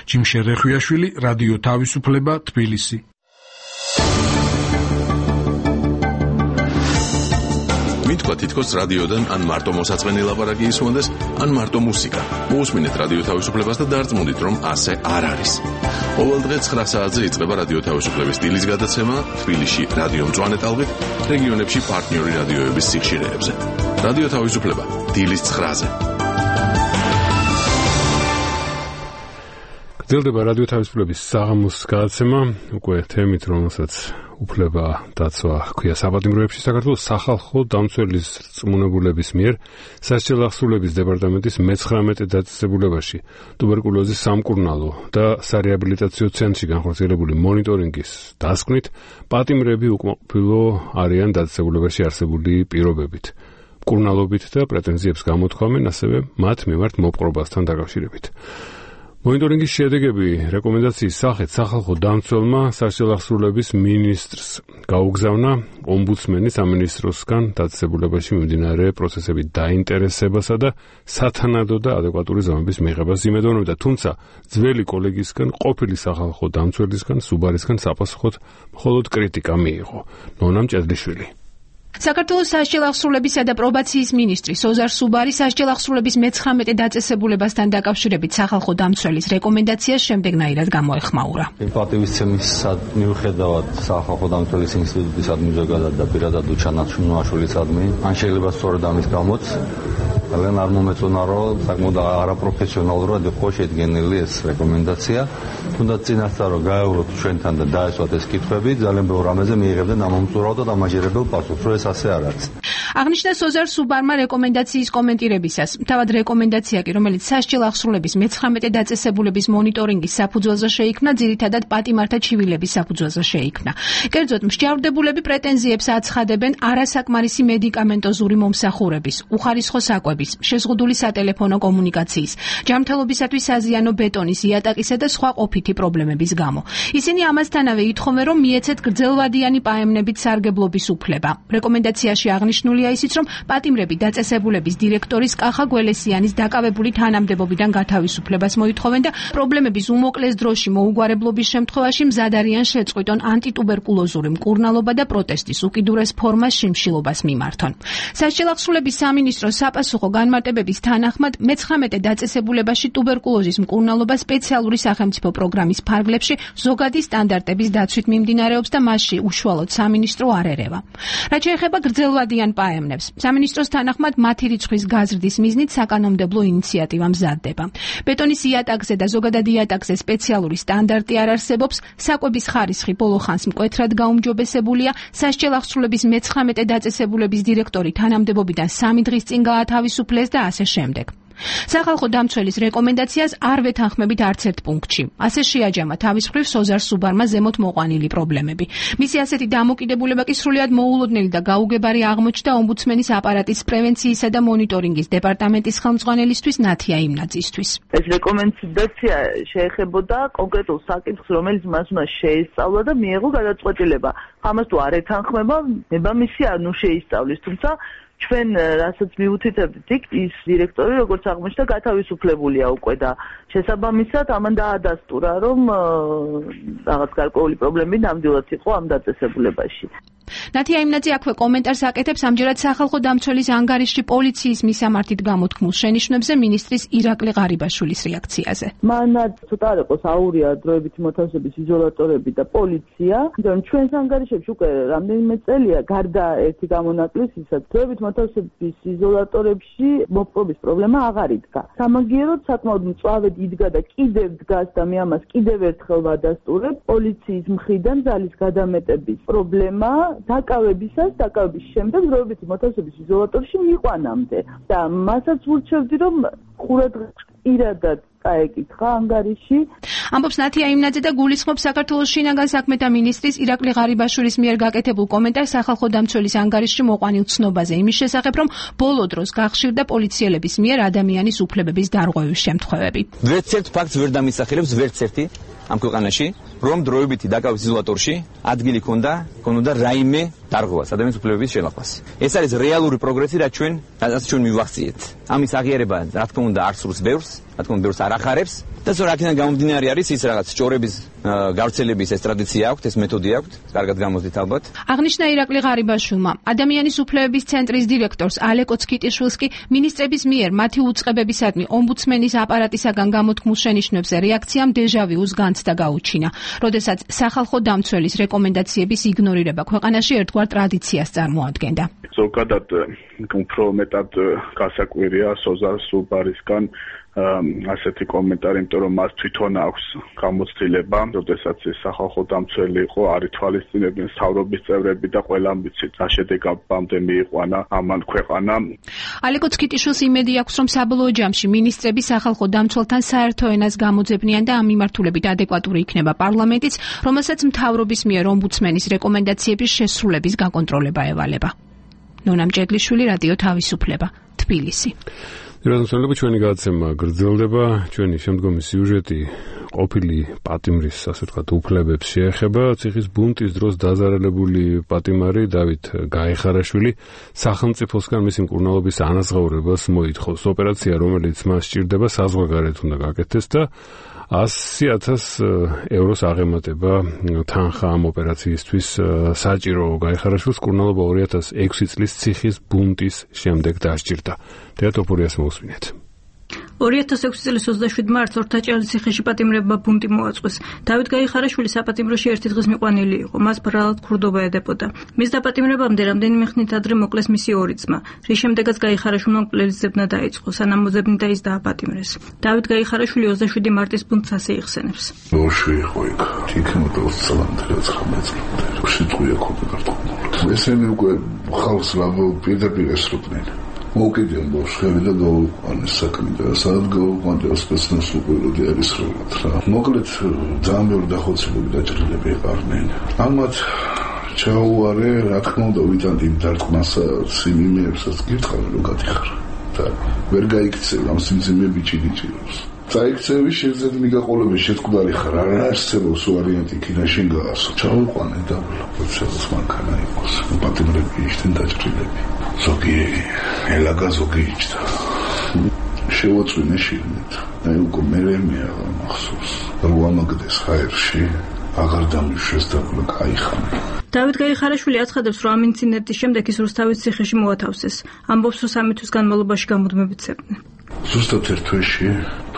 ჯიმშე რეხვიაშვილი, რადიო თავისუფლება, თბილისი. მითქვა თითქოს რადიოდან ან მარტო მოსაწყენი ლაპარაკი ისმონდეს, ან მარტო მუსიკა. მოусმინეთ რადიო თავისუფლებას და დარწმუნდით, რომ ასე არ არის. ყოველ დღე ცხრა საათზე იწყება რადიო თავისუფლების დილის გადაცემა თბილისში რადიო მწვანე ტალღით, რეგიონებში პარტნიორი რადიოების სიხშირეებზე. რადიო თავისუფლება დილის ცხრაზე. გრძელდება რადიო თავისუფლების საღამოს გადაცემა, უკვე თემით, რომელსაც უფლება დაცვა ჰქვია საპატიმროებში საქართველოს სახალხო დამცველის რწმუნებულების მიერ სასჯელ აღსრულების დეპარტამენტის მეცხრამეტე დაწესებულებაში ტუბერკულოზის სამკურნალო და სარეაბილიტაციო ცენტრში განხორციელებული მონიტორინგის დასკვნით პატიმრები უკმაყოფილო არიან დაწესებულებაში არსებული პირობებით, მკურნალობით და პრეტენზიებს გამოთქვამენ, ასევე მათ მიმართ მოპყრობასთან დაკავშირებით. მონიტორინგის შედეგები რეკომენდაციის სახით სახალხო დამცველმა სასჯელ აღსრულების მინისტრს გაუგზავნა ომბუდსმენი სამინისტროსგან დაწესებულებაში მიმდინარე პროცესების დაინტერესებასა და სათანადო და ადეკვატური ზომების მიღებას იმედოვნებდა, თუმცა ძველი კოლეგისგან, ყოფილი სახალხო დამცველისგან, სუბარისგან საპასუხოდ მხოლოდ კრიტიკა მიიღო. ნონა მჭედლიშვილი. საქართველოს სასჯელ აღსრულებისა და პრობაციის მინისტრი სოზარ სუბარი სასჯელ აღსრულების მეცხრამეტე დაწესებულებასთან დაკავშირებით სახალხო დამცველის რეკომენდაციას შემდეგნაირად გამოეხმაურა. პატივისცემის მიუხედავად სახალხო დამცველის ინსტიტუტისადმი ზოგადად და პირადად უჩანაჩუნოაშვილისადმი, ან შეიძლება სწორედ ამის გამოც ძალიან არ მომეწონა, რომ საკმაოდ არაპროფესიონალურად იყო შედგენილი ეს რეკომენდაცია. თუნდაც წინასწარ რომ გაევროთ ჩვენთან და დაესვათ ეს კითხვები, ძალიან ბევრ რამეზე მიიღებდნენ ამომწურავ და დამაჯერებელ პასუხს, რომ ეს ასე არ არის. აღნიშნა სოზარ სუბარმა რეკომენდაციის კომენტირებისას. თავად რეკომენდაცია კი, რომელიც სასჯელ აღსრულების მეცხრამეტე დაწესებულების მონიტორინგის საფუძველზე შეიქმნა, ძირითადად პატიმართა ჩივილების საფუძველზე შეიქმნა. კერძოდ, მსჯავრდებულები პრეტენზიებს აცხადებენ არასაკმარისი მედიკამენტოზური მომსახურების, უხარისხო საკვების, შეზღუდული სატელეფონო კომუნიკაციის, ჯანმრთელობისათვის საზიანო ბეტონის, იატაკისა და სხვა ყოფითი პრობლემების გამო. ისინი ამასთანავე ითხოვენ, რომ მიეცეთ გრძელვადიანი პაემნებით სარგებლობის უფლება. რეკომენდაციაში აღნიშნულია ისიც, რომ პატიმრები დაწესებულების დირექტორის კახა გველესიანის დაკავებული თანამდებობიდან გათავისუფლებას მოითხოვენ და პრობლემების უმოკლეს დროში მოუგვარებლობის შემთხვევაში მზად არიან შეწყვიტონ ანტიტუბერკულოზური მკურნალობა და პროტესტის უკიდურეს ფორმას შიმშილობას მიმართონ. სასჯელ აღსრულების სამინისტროს საპასუხო განმარტებების თანახმად მეცხრამეტე დაწესებულებაში ტუბერკულოზის მკურნალობა სპეციალური სახელმწიფო პროგრამის ფარგლებში ზოგადი სტანდარტების დაცვით მიმდინარეობს და მასში უშუალოდ სამინისტრო არ ერევა. რაც შეეხება გრძელვადიან პაემნებს, სამინისტროს თანახმად მათი რიცხვის გაზრდის მიზნით საკანონმდებლო ინიციატივა მზადდება. ბეტონის იატაკზე და ზოგადად იატაკზე სპეციალური სტანდარტი არ არსებობს, საკვების ხარისხი ბოლო ხანს მკვეთრად გაუმჯობესებულია, სასჯელ აღსრულების მეცხრამეტე დაწესებულების დირექტორი თანამდებობიდან სამი დღის წინ გაათავისუფლეს და ასე შემდეგ. სახალხო დამცველის რეკომენდაციას არ ვეთანხმებით არც ერთ პუნქტში. ასე შეაჯამა თავის მხრივ სოზარ სუბარმა ზემოთ მოყვანილი პრობლემები. მისი ასეთი დამოკიდებულება კი სრულიად მოულოდნელი და გაუგებარი აღმოჩნდა ომბუდსმენის აპარატის პრევენციისა და მონიტორინგის დეპარტამენტის ხელმძღვანელისთვის ნათია იმნაძისთვის. ეს რეკომენდაცია შეეხებოდა კონკრეტულ საკითხს, რომელიც მას უნდა შეესწავლა და მიეღო გადაწყვეტილება. ამას თუ არ ეთანხმება, ნებამისი არ ნუ შეისწავლის, თუმცა ჩვენ რასაც მიუთითებთ, ის დირექტორი როგორც აღმოჩნდა გათავისუფლებულია უკვე და შესაბამისად ამან დაადასტურა, რომ რაღაც გარკვეული პრობლემები ნამდვილად იყო ამ დაწესებულებაში. ნათია იმნაძე აქვე კომენტარს აკეთებს ამჯერად სახალხო დამცველის ანგარიშში პოლიციის მისამართით გამოთქმულ შენიშვნებზე მინისტრის ირაკლი ღარიბაშვილის რეაქციაზე. მანაც ცოტა არ იყოს აურია დროებითი მოთავსების იზოლატორები და პოლიცია, მაგრამ ჩვენს ანგარიშებში უკვე რამდენიმე წელია გარდა ერთი გამონაკლისისა, დროებით მოთავსების იზოლატორებში მოპყრობის პრობლემა აღარ იდგა. სამაგიეროდ საკმაოდ მწვავედ იდგა და კიდევ დგას და მე ამას კიდევ ერთხელ ვადასტურებ, პოლიციის მხრიდან ძალის გადამეტების პრობლემა დაკავებისას, დაკავების შემდეგ დროებითი მოთავსების იზოლატორში მიყვანამდე და მასაც ვურჩევდი, რომ ყურადღება პირადად წაეკითხა ანგარიში. ამბობს ნათია იმნაძე და გულისხმობს საქართველოს შინაგან საქმეთა მინისტრის ირაკლი ღარიბაშვილის მიერ გაკეთებულ კომენტარს სახალხო დამცველის ანგარიშში მოყვანილ ცნობაზე იმის შესახებ, რომ ბოლო დროს გახშირდა პოლიციელების მიერ ადამიანის უფლებების დარღვევის შემთხვევები. ვერც ერთ ფაქტს ვერ დამისახელებს ვერც ერთი ამ ქვეყანაში, რომ დროებითი დაკავის იზოლატორში ადგილი ქონდა, ქონოდა რაიმე დარღვევას, ადამიანის უფლებების შელახვას. ეს არის რეალური პროგრესი, რაც ჩვენ, რაც ჩვენ მივახციეთ. ამის აღიარება, რა თქმა უნდა, არ სურს ბევრს, რა თქმა უნდა, ბევრს არ ახარებს და ზოგადად აქედან გამომდინარე არის ის რაღაც ჭორების გავრცელების ეს ტრადიცია აქვს, ეს მეთოდი აქვს, კარგად გამოსდით ალბათ. აღნიშნა ირაკლი ღარიბაშვილმა, ადამიანის უფლებების ცენტრის დირექტორს ალეკო ცკიტიშვილს კი მინისტრების მიერ მათი უწყებებისადმი ომბუდსმენის აპარატისაგან გამოთქმულ შენიშვნებზე რეაქციამ დეჟავიუს განცდა გაუჩინა, როდესაც სახალხო დამცველის რეკომენდაციების იგნორირება ქვეყანაში ერთგვარ ტრადიციას წარმოადგენდა. ზოგადად უფრო მეტად გასაკვირია სოზარ სუბარისგან ასეთი კომენტარი, იმიტომ რომ მას თვითონ აქვს გამოცდილება, როდესაც ეს სახალხო დამცველი იყო, არ ითვალისწინებდნენ მთავრობის წევრები და ყველამ ვიცით, რა შედეგამდე მიიყვანა ამან ქვეყანა. ალეკო ცქიტიშვილს იმედი აქვს, რომ საბოლოო ჯამში მინისტრები სახალხო დამცველთან საერთო ენას გამოძებნიან და ამ მიმართულებით ადეკვატური იქნება პარლამენტიც, რომელსაც მთავრობის მიერ ომბუდსმენის რეკომენდაციების შესრულების გაკონტროლება ევალება. ნონა მჭედლიშვილი, რადიო თავისუფლება, თბილისი. რადგან ჩვენი გადაცემა გრძელდება, ჩვენი შემდგომი სიუჟეტი ყოფილი პატიმრის, ასე ვთქვათ, უფლებებს შეეხება. ციხის ბუნტის დროს დაზარალებული პატიმარი დავით გაიხარაშვილი სახელმწიფოსგან მისი მკურნალობის ანაზღაურებას მოითხოვს. ოპერაცია, რომელიც მას სჭირდება, საზღვარგარეთ უნდა გაკეთდეს და ასი ათას ევროს აღემატება თანხა ამ ოპერაციისთვის საჭირო. გაიხარაშვილს მკურნალობა ორი ათას ექვსი წლის ციხის ბუნტის შემდეგ დასჭირდა. თეატოფორიას მოусმინეთ. ორი ათას ექვსი წლის ოცდაშვიდ მარტს ორთაჭალის ციხეში პატიმრებმა ბუნტი მოაწყვეს. დავით გაიხარაშვილი საპატიმროში ერთი დღის მიყვანილი იყო. მას ბრალად ქურდობა ედებოდა. მის დაპატიმრებამდე რამდენიმე ხნით ადრე მოკლეს მისი ორი ძმა, რის შემდეგაც გაიხარაშვილმა მკვლელის ძებნა დაიწყო, სანამ მოძებნი და ის დააპატიმრეს. დავით გაიხარაშვილი ოცდაშვიდი მარტის ბუნტს ასე იხსენებს. ბავშვი იყო იქ, იქნებოდა ოცდაათი ცხრამეტი წლამდე. სიტყვია ქონდა. ესენი უკვე ხალხს ლაბო პირდაპირ ესროდნენ. მოკიდიან ბავშვები და გაუყვანეს საქმე და სადაც გაუყვანდა სპეცნას უყუროდი არის როლად რა. მოკლედ ძალიან ბევრი დახოცებული დაჭრილები იყარნენ. ამათ ჩაუარე, რა თქმა უნდა, ვიტანდი დარტყმასა სიმიმეებსაც გირწყავენ რომ გადიხარ და ვერ გაიქცევ ამ სიმძიმე ბიჭი-ბიჭირებს. წაიქცევი შეძლებნი მიგაყოლები შეთქმული ხარ, არ არსებობს ვარიანტი კინაშენ გაასო. ჩაუყვანე და პროცესს მანქანა იყოს. პატიმრები ისთენ დაჭრილები. ზოგი ელაგა ზოგი იჭდა. შევაწვინე შიგნით. აი უკვე მერე მე აღარ მახსოვს. რომ ამაგდეს ჰაერში, აღარ დამიშვეს და გაიხანა. დავით გაიხარაშვილი აცხადებს, რომ ამ ინციდენტის შემდეგ ის რუსთავის ციხეში მოათავსეს. ამბობს, რომ სამი თვის განმავლობაში გამუდმებით ცეკვდნენ. ზუსტად ერთ თვეში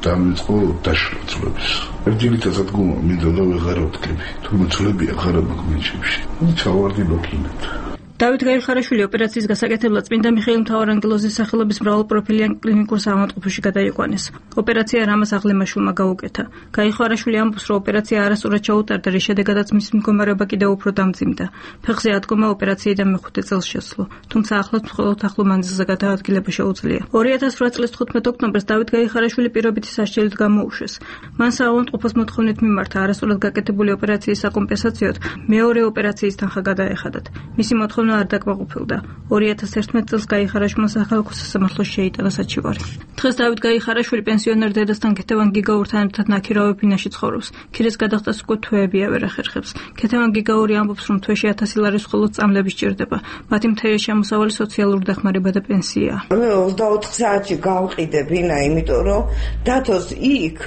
დამიწყო დაშლა ძვლების. ერთგილითაც გუმა მინდა და ვეღარ ვთქები. თუმცა ძვლები აღარ მაგმენჩებში. ჩავარდი ლოკინეთ. დავით გაიხარაშვილი ოპერაციის გასაკეთებლად წმინდა მიხეილ მთავარანგელოზის სახელობის მრავალპროფილიან კლინიკურ საავადმყოფოში გადაიყვანეს. ოპერაცია რამაზ აღლემაშვილმა გაუკეთა. გაიხარაშვილი ამბობს, რომ ოპერაცია არასწორად ჩაუტარდა, რის შედეგადაც მისი მდგომარეობა კიდევ უფრო დამძიმდა. ფეხზე ადგომა ოპერაციიდან მეხუთე წელს შესძლო, თუმცა ახლაც მხოლოდ ახლო მანძილზე გადაადგილება შეუძლია. ორი ათას ოთხ წლის თხუთმეტ ოქტომბერს დავით გაიხარაშვილი პირობითი სასჯელით გამოუშვეს. მან საავადმყოფოს მოთხოვნით მიმართა არასწორად გაკეთებული ოპერაციის საკომპენსაციოდ მეორე ოპერაციის თანხა გადაეხადათ. მისი მოთხოვნა არ დაკმაყოფილდა. ორი ათას ერთმეტ წელს გაიხარაშვილმა სახალხო სასამართლოში შეიტანა საჩივარი. დღეს დავით გაიხარაშვილი პენსიონერ დედასთან ქეთევან გიგაურთან ერთად ნაქირავე ფინაში ცხოვრობს. ქირეს გადახდას უკვე თვეები აღარ ახერხებს. ქეთევან გიგაური ამბობს, რომ თვეში ათასი ლარის მხოლოდ წამლები სჭირდება. მათი მთელი შემოსავალი სოციალური დახმარება და პენსიაა. მე ოცდაოთხ საათში გავყიდე ბინა, იმიტომ რომ დათოს იქ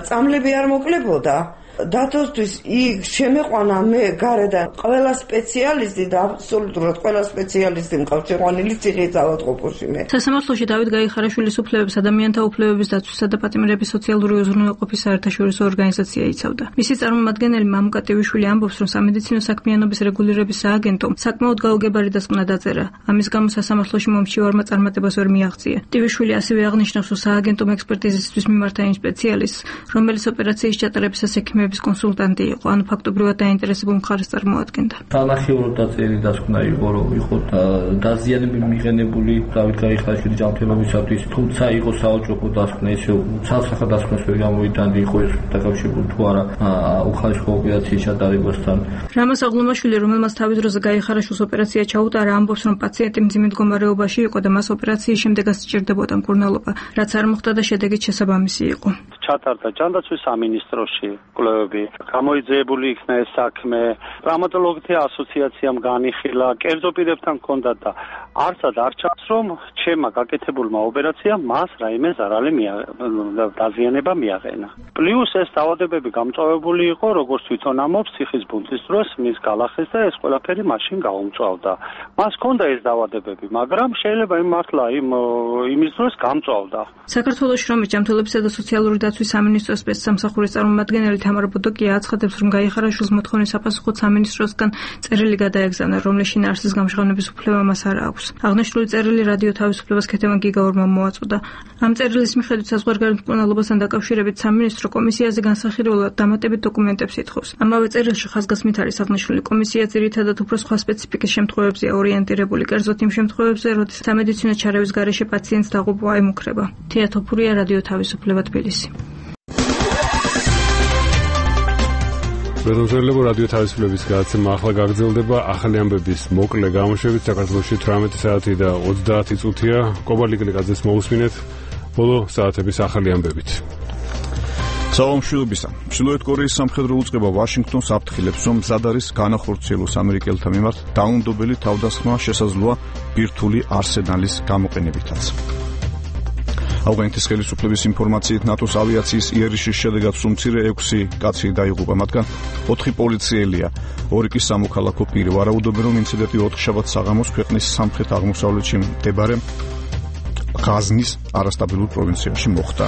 წამლები არ მოკლებოდა. დათოსთვის იქ შემეყვანა მე გარედან ყველა სპეციალისტი და აბსოლუტურად ყველა სპეციალისტი მყავს შეყვანილი ციხის ავადმყოფოში მე. სასამართლოში დავით გაიხარაშვილის უფლებებს ადამიანთა უფლებების დაცვისა და პატიმრების სოციალური უზრუნველყოფის საერთაშორისო ორგანიზაცია იცავდა. მისი წარმომადგენელი მამუკა ტივიშვილი ამბობს, რომ სამედიცინო საქმიანობის რეგულირების სააგენტომ საკმაოდ გაუგებარი დასკვნა დაწერა. ამის გამო სასამართლოში მომჩივარმა წარმატებას ვერ მიაღწია. ტივიშვილი ასევე აღნიშნავს, რომ სააგენტომ ექსპერტიზისთვის მიმართა იმ სპეციალისტს, რომელიც ოპერაციის ჩატარებისას ექიმების კონსულტანტი იყო, ანუ ფაქტობრივად დაინტერესებულ მხარეს წარმოადგენდა. თანახევრად დაწერილი დასკვნა იყო, რომ იყო დაზიანები მიღენებული დავით გაიხარაშვილის ჯანმრთელობისათვის, თუმცა იყო საოჯახო დასკვნა, ისე ცალსახა დასკვნას ვერ გამოვიტანდი, იყო ეს დაკავშირებული თუ არა უხარისხო ოპერაციის ჩატარებასთან. რამაზ აღლომაშვილი, რომელმაც თავის დროზე გაიხარაშვილს ოპერაცია ჩაუტარა, ამბობს, რომ პაციენტი მძიმე მდგომარეობაში იყო და მას ოპერაციის შემდეგაც სჭირდებოდა მკურნალობა, რაც არ მოხდა და შედეგიც შესაბამისი იყო. ჩატარდა ჯანდაცვის სამინისტროში კვლევები, გამოიძიებული იქნა ეს საქმე, ტრამატოლოგთა ასოციაციამ განიხილა, კერძო პირებთან ჰქონდა და არცად არ ჩანს, რომ ჩემმა გაკეთებულმა ოპერაციამ მას რაიმე ზარალი დაზიანება მიაყენა. პლუს ეს დაავადებები გამწვავებული იყო, როგორც თვითონ ამბობს, ციხის ბუნტის დროს მის გალახეს და ეს ყველაფერი მაშინ გაუმწვავდა. მას ჰქონდა ეს დაავადებები, მაგრამ შეიძლება იმ მართლა იმ იმის დროს გამწვავდა. საქართველოს შრომის ჯანმრთელობისა და სოციალური დაცვის დაცვის სამინისტროს სპეცსამსახურის წარმომადგენელი თამარ ბოდოკია აცხადებს, რომ გაიხარაშვილის მოთხოვნის საფასუხოდ სამინისტროსგან წერილი გადაეგზავნა, რომლის შინაარსის გამჟღავნების უფლება მას არ აქვს. აღნიშნული წერილი რადიო თავისუფლებას ქეთევან გიგაურმა მოაწოდა. ამ წერილის მიხედვით საზღვარგარეთ მკვლელობასთან დაკავშირებით სამინისტრო კომისიაზე განსახილველად დამატებით დოკუმენტებს ითხოვს. ამავე წერილში ხაზგასმით არის აღნიშნული, კომისია ძირითადად უფრო სხვა სპეციფიკის შემთხვევებზეა ორიენტირებული, კერძოდ იმ შემთხვევებზე, როდის სამედიცინო ჩარევის გარეშე პაციენტს დაღუპვა ემუქრება. თია თოფურია, რადიო თავისუფლება, თბილისი. პრეზიდენტებო რადიო თავისუფლების გადაცემა ახლა გაგრძელდება. ახალი ამბების მოკლე გამოშვებით საქართველოში თვრამეტი საათი და ოცდაათი წუთია. კობარ ლიკლიqaძეს მოусმინეთ ბოლო საათების ახალი ამბებით. საომშვილობისა. ჩრდილოეთ კორეის სამხედრო უწყება ვაშინგტონს აფრთხილებს, რომ მზად არის განახორციელოს ამერიკელთა მიმართ დაუნდობელი თავდასხმა შესაძლოა ბირთვული არსენალის გამოყენებითაც. ავღანეთის ხელისუფლების ინფორმაციით ნატოს ავიაციის იერიშის შედეგად სულ მცირე ექვსი კაცი დაიღუპა, მათგან ოთხი პოლიციელია, ორი კი სამოქალაქო პირი. ვარაუდობენ, რომ ინციდენტი ოთხშაბათ საღამოს ქვეყნის სამხრეთ-აღმოსავლეთში მდებარე ღაზნის არასტაბილურ პროვინციაში მოხდა.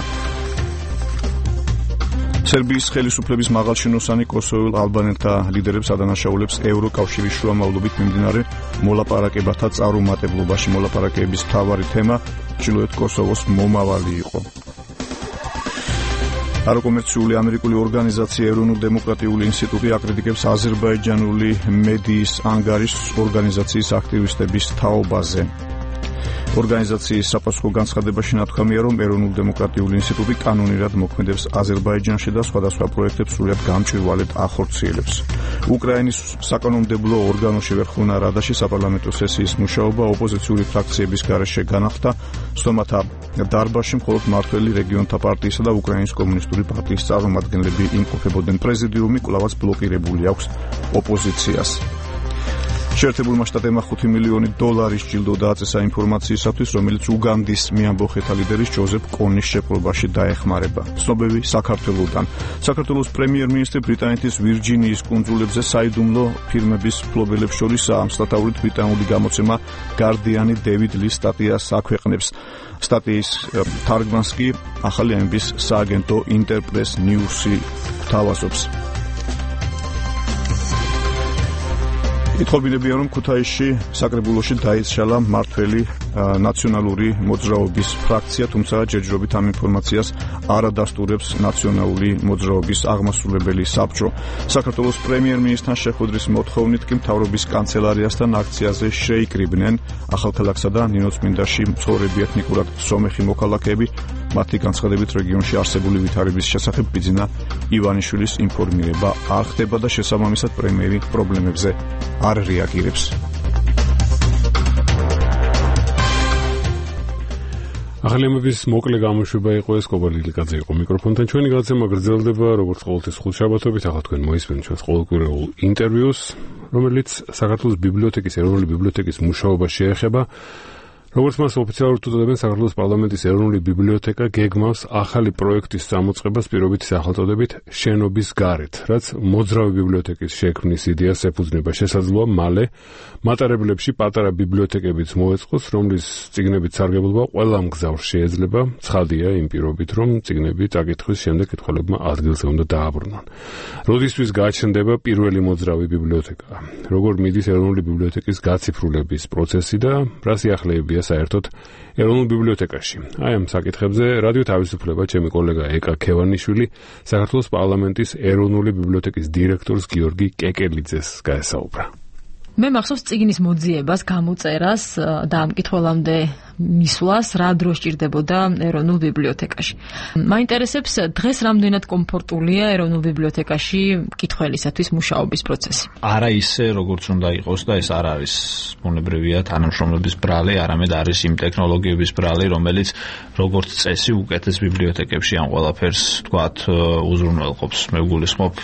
სერბიის ხელისუფლების მაღალჩინოსანი კოსოველ ალბანელთა ლიდერებს ადანაშაულებს ევროკავშირის შუამავლობით მიმდინარე მოლაპარაკებათა წარუმატებლობაში. მოლაპარაკებების მთავარი თემა ჩრდილოეთ კოსოვოს მომავალი იყო. არაკომერციული ამერიკული ორგანიზაცია ეროვნულ-დემოკრატიული ინსტიტუტი აკრიტიკებს აზერბაიჯანული მედიის ანგარის ორგანიზაციის აქტივისტების თაობაზე. ორგანიზაციის საფასუხო განცხადებაში ნათქვამია, რომ ეროვნულ-დემოკრატიული ინსტიტუტი კანონირად მოქმედებს აზერბაიჯანში და სხვადასხვა პროექტებს სრულად გამჭვირვალედ ახორციელებს. უკრაინის საკანონმდებლო ორგანოში ვერხოვნა რადაში საპარლამენტო სესიის მუშაობა ოპოზიციური ფრაქციების გარეშე განახლდა. სტომათა დარბაზში მხოლოდ მართველი რეგიონთა პარტიისა და უკრაინის კომუნისტური პარტიის წარმომადგენლები იმყოფებოდნენ. პრეზიდიუმი კვლავაც ბლოკირებული აქვს ოპოზიციას. შეერთებულმა შტატებმა ხუთი მილიონი დოლარის ჯილდო დააწესა ინფორმაციისათვის, რომელიც უგანდის მეამბოხეთა ლიდერის ჯოზეფ კონის შეპყრობაში დაეხმარება. ცნობები საქართველოსთან. საქართველოს პრემიერ-მინისტრი ბრიტანეთის ვირჯინიის კუნძულებზე საიდუმლო ფირმების მფლობელებს შორისაა. მსტატაურით ბრიტანული გამოცემა გარდიანი დევიდ ლის სტატიას აქვეყნებს. სტატიის თარგმანს კი ახალი ამბის სააგენტო ინტერპრეს ნიუსი თავაზობს. ითხოვებინებია, რომ ქუთაისში საკრებულოში დაიცვალა მართველი ნაციონალური მოძრაობის ფრაქცია, თუმცა ჯერჯერობით ამ ინფორმაციას არ ადასტურებს ნაციონალური მოძრაობის აღმასრულებელი საბჭო. საქართველოს პრემიერ-მინისტრთან შეხვედრის მოთხოვნით კი მთავრობის კანცელარიასთან აქციაზე შეიკრიბნენ ახალქალაქსა და ნინოწმინდაში მცხოვრები ეთნიკურად სომეხი მოქალაქეები. მათი განცხადებით რეგიონში არსებული ვითარების შესახებ ბიძინა ივანიშვილის ინფორმირება არ ხდება და შესაბამისად პრემიერი პრობლემებზე არ რეაგირებს. ახალი ამბების მოკლე გამოშვება იყო ეს, კობარ ლიკლიqaძე იყო მიკროფონთან. ჩვენი გადაცემა გრძელდება როგორც ყოველთვის ხუთშაბათობით. ახლა თქვენ მოისმენთ ჩვენს ყოველკვირეულ ინტერვიუს, რომელიც საქართველოს ბიბლიოთეკის ეროვნული ბიბლიოთეკის მუშაობას შეეხება. როგორც მას ოფიციალურად უწოდებენ, საქართველოს პარლამენტის ეროვნული ბიბლიოთეკა გეგმავს ახალი პროექტის წამოწყებას პირობითი სახელწოდებით შენობის გარეთ, რაც მოძრავი ბიბლიოთეკის შექმნის იდეას ეფუძნება. შესაძლოა მალე მატარებლებში პატარა ბიბლიოთეკებიც მოეწყოს, რომლის წიგნებით სარგებლობა ყველა მგზავრს შეეძლება. ცხადია იმ პირობით, რომ წიგნები წაკითხვის შემდეგ კითხველებმა ადგილზე უნდა დააბრუნონ. როდისთვის გაჩნდება პირველი მოძრავი ბიბლიოთეკა? როგორ მიდის ეროვნული ბიბლიოთეკის გაციფრულების პროცესი და რა სიახლეებია საერთოდ ეროვნულ ბიბლიოთეკაში? აი ამ საკითხებზე რადიო თავისუფლება ჩემი კოლეგა ეკა ქევანიშვილი საქართველოს პარლამენტის ეროვნული ბიბლიოთეკის დირექტორს გიორგი კეკელიძეს გაესაუბრა. მე მახსოვს წიგნის მოძიებას, გამოწერას და ამ კითხველამდე მისვლას რა დრო სჭირდებოდა ეროვნულ ბიბლიოთეკაში. მაინტერესებს დღეს რამდენად კომფორტულია ეროვნულ ბიბლიოთეკაში მკითხველისათვის მუშაობის პროცესი. არა ისე როგორც უნდა იყოს და ეს არ არის ბუნებრივია თანამშრომლობის ბრალი, არამედ არის იმ ტექნოლოგიების ბრალი, რომელიც როგორც წესი უკეთეს ბიბლიოთეკებში ამ ყველაფერს თქვათ უზრუნველყოფს. მე გულისხმობ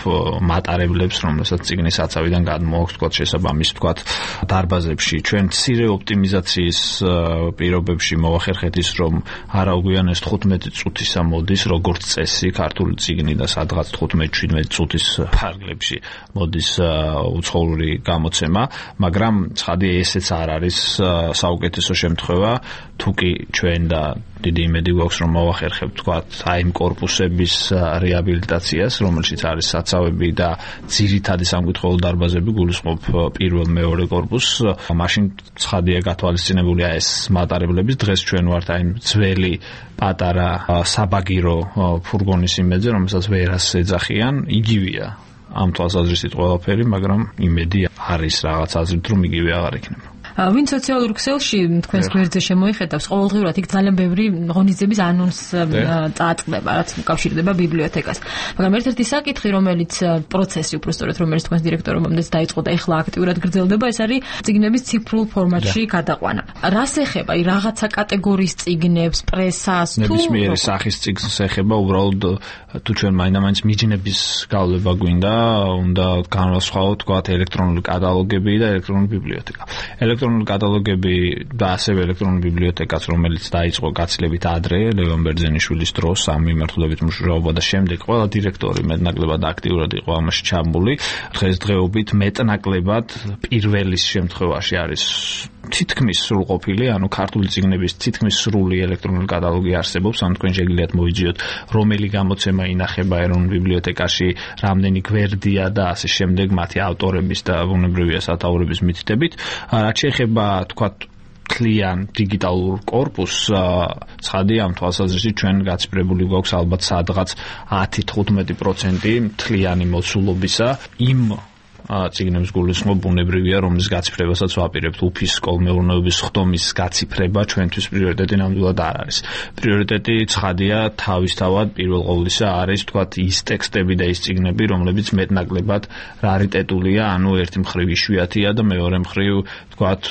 მატარებლებს, რომელსაც წიგნის საცავიდან გადმოაქვს თქვათ შესაბამის თქვათ დარბაზებში. ჩვენ მცირე ოპტიმიზაციის პირობებში მოვახერხეთ ის, რომ არა უგვიანეს თხუთმეტი წუთისა მოდის როგორც წესი ქართული წიგნი და სადღაც თხუთმეტი შვიდმეტი წუთის ფარგლებში მოდის უცხოური გამოცემა, მაგრამ ცხადია ესეც არ არის საუკეთესო შემთხვევა, თუ კი ჩვენ და დიდი იმედი გვაქვს რომ მოვახერხებთ თქვათ აი იმ კორპუსების რეაბილიტაციას, რომელშიც არის საცავები და ძირითადი სამკითხველო დარბაზები, გულისხმობ პირველ მეორე კორპუსს. მაშინ ცხადია გათვალისწინებულია ეს მატარებლების. დღეს ჩვენ ვართ აი ძველი პატარა საბაგირო ფურგონის იმედზე, რომელსაც ვერას ეძახიან. იგივეა ამ თვალსაზრისით ყველაფერი, მაგრამ იმედი არის რაღაც აზრით რომ იგივე აღარ იქნება. ვინ სოციალურ ქსელში თქვენს გვერდზე შემოიხედავს, ყოველდღიურად იქ ძალიან ბევრი ღონისძიების ანონს წააწყდება, რაც უკავშირდება ბიბლიოთეკას. მაგრამ ერთ-ერთი საკითხი, რომელიც პროცესი უბრალოდ რომელიც თქვენს დირექტორობამდეც დაიწყო და ეხლა აქტიურად გრძელდება, ეს არის წიგნების ციფრულ ფორმატში გადაყვანა. რას ეხება? აი რაღაცა კატეგორიის წიგნებს, პრესას, თუ ნებისმიერი სახის წიგნს ეხება, უბრალოდ თუ ჩვენ მაინდა-მაინც მიჯნების გავლება გვინდა, უნდა განვასხვაოთ თქვათ ელექტრონული კატალოგები და ელექტრონული ბიბლიოთეკა. ელექტრონული კატალოგები და ასევე ელექტრონული ბიბლიოთეკაც, რომელიც დაიწყო გაცილებით ადრე ლევან ბერძენიშვილის დროს ამ მიმართულებით მუშაობა და შემდეგ ყველა დირექტორი მეტნაკლებად აქტიურად იყო ამაში ჩაბმული. დღესდღეობით მეტნაკლებად პირველის შემთხვევაში არის თითქმის სრულყოფილი, ანუ ქართული წიგნების თითქმის სრული ელექტრონული კატალოგი არსებობს, ანუ თქვენ შეგიძლიათ მოიძიოთ რომელი გამოცემა ინახება ეროვნულ ბიბლიოთეკაში, რამდენი გვერდია და ასე შემდეგ მათი ავტორების და ბუნებრივია სათაურების მითითებით. რაც შეეხება თქვათ კლიან დიგიტალურ კორპუსს, ცხადია ამ თვალსაზრისით ჩვენ გაცხრებული გვაქვს ალბათ სადღაც ათი თხუთმეტი პროცენტი მთლიანი მოცულობისა იმ წიგნებს გულისხმობ ბუნებრივია, რომლის გაციფრებასაც ვაპირებთ. უფის კოლმეურნეობის ხდომის გაციფრება ჩვენთვის პრიორიტეტი ნამდვილად არ არის. პრიორიტეტი ცხადია თავისთავად პირველ ყოვლისა არის თქვათ ის ტექსტები და ის წიგნები, რომლებიც მეტნაკლებად რარიტეტულია, ანუ ერთი მხრივ იშვიათია და მეორე მხრივ თქვათ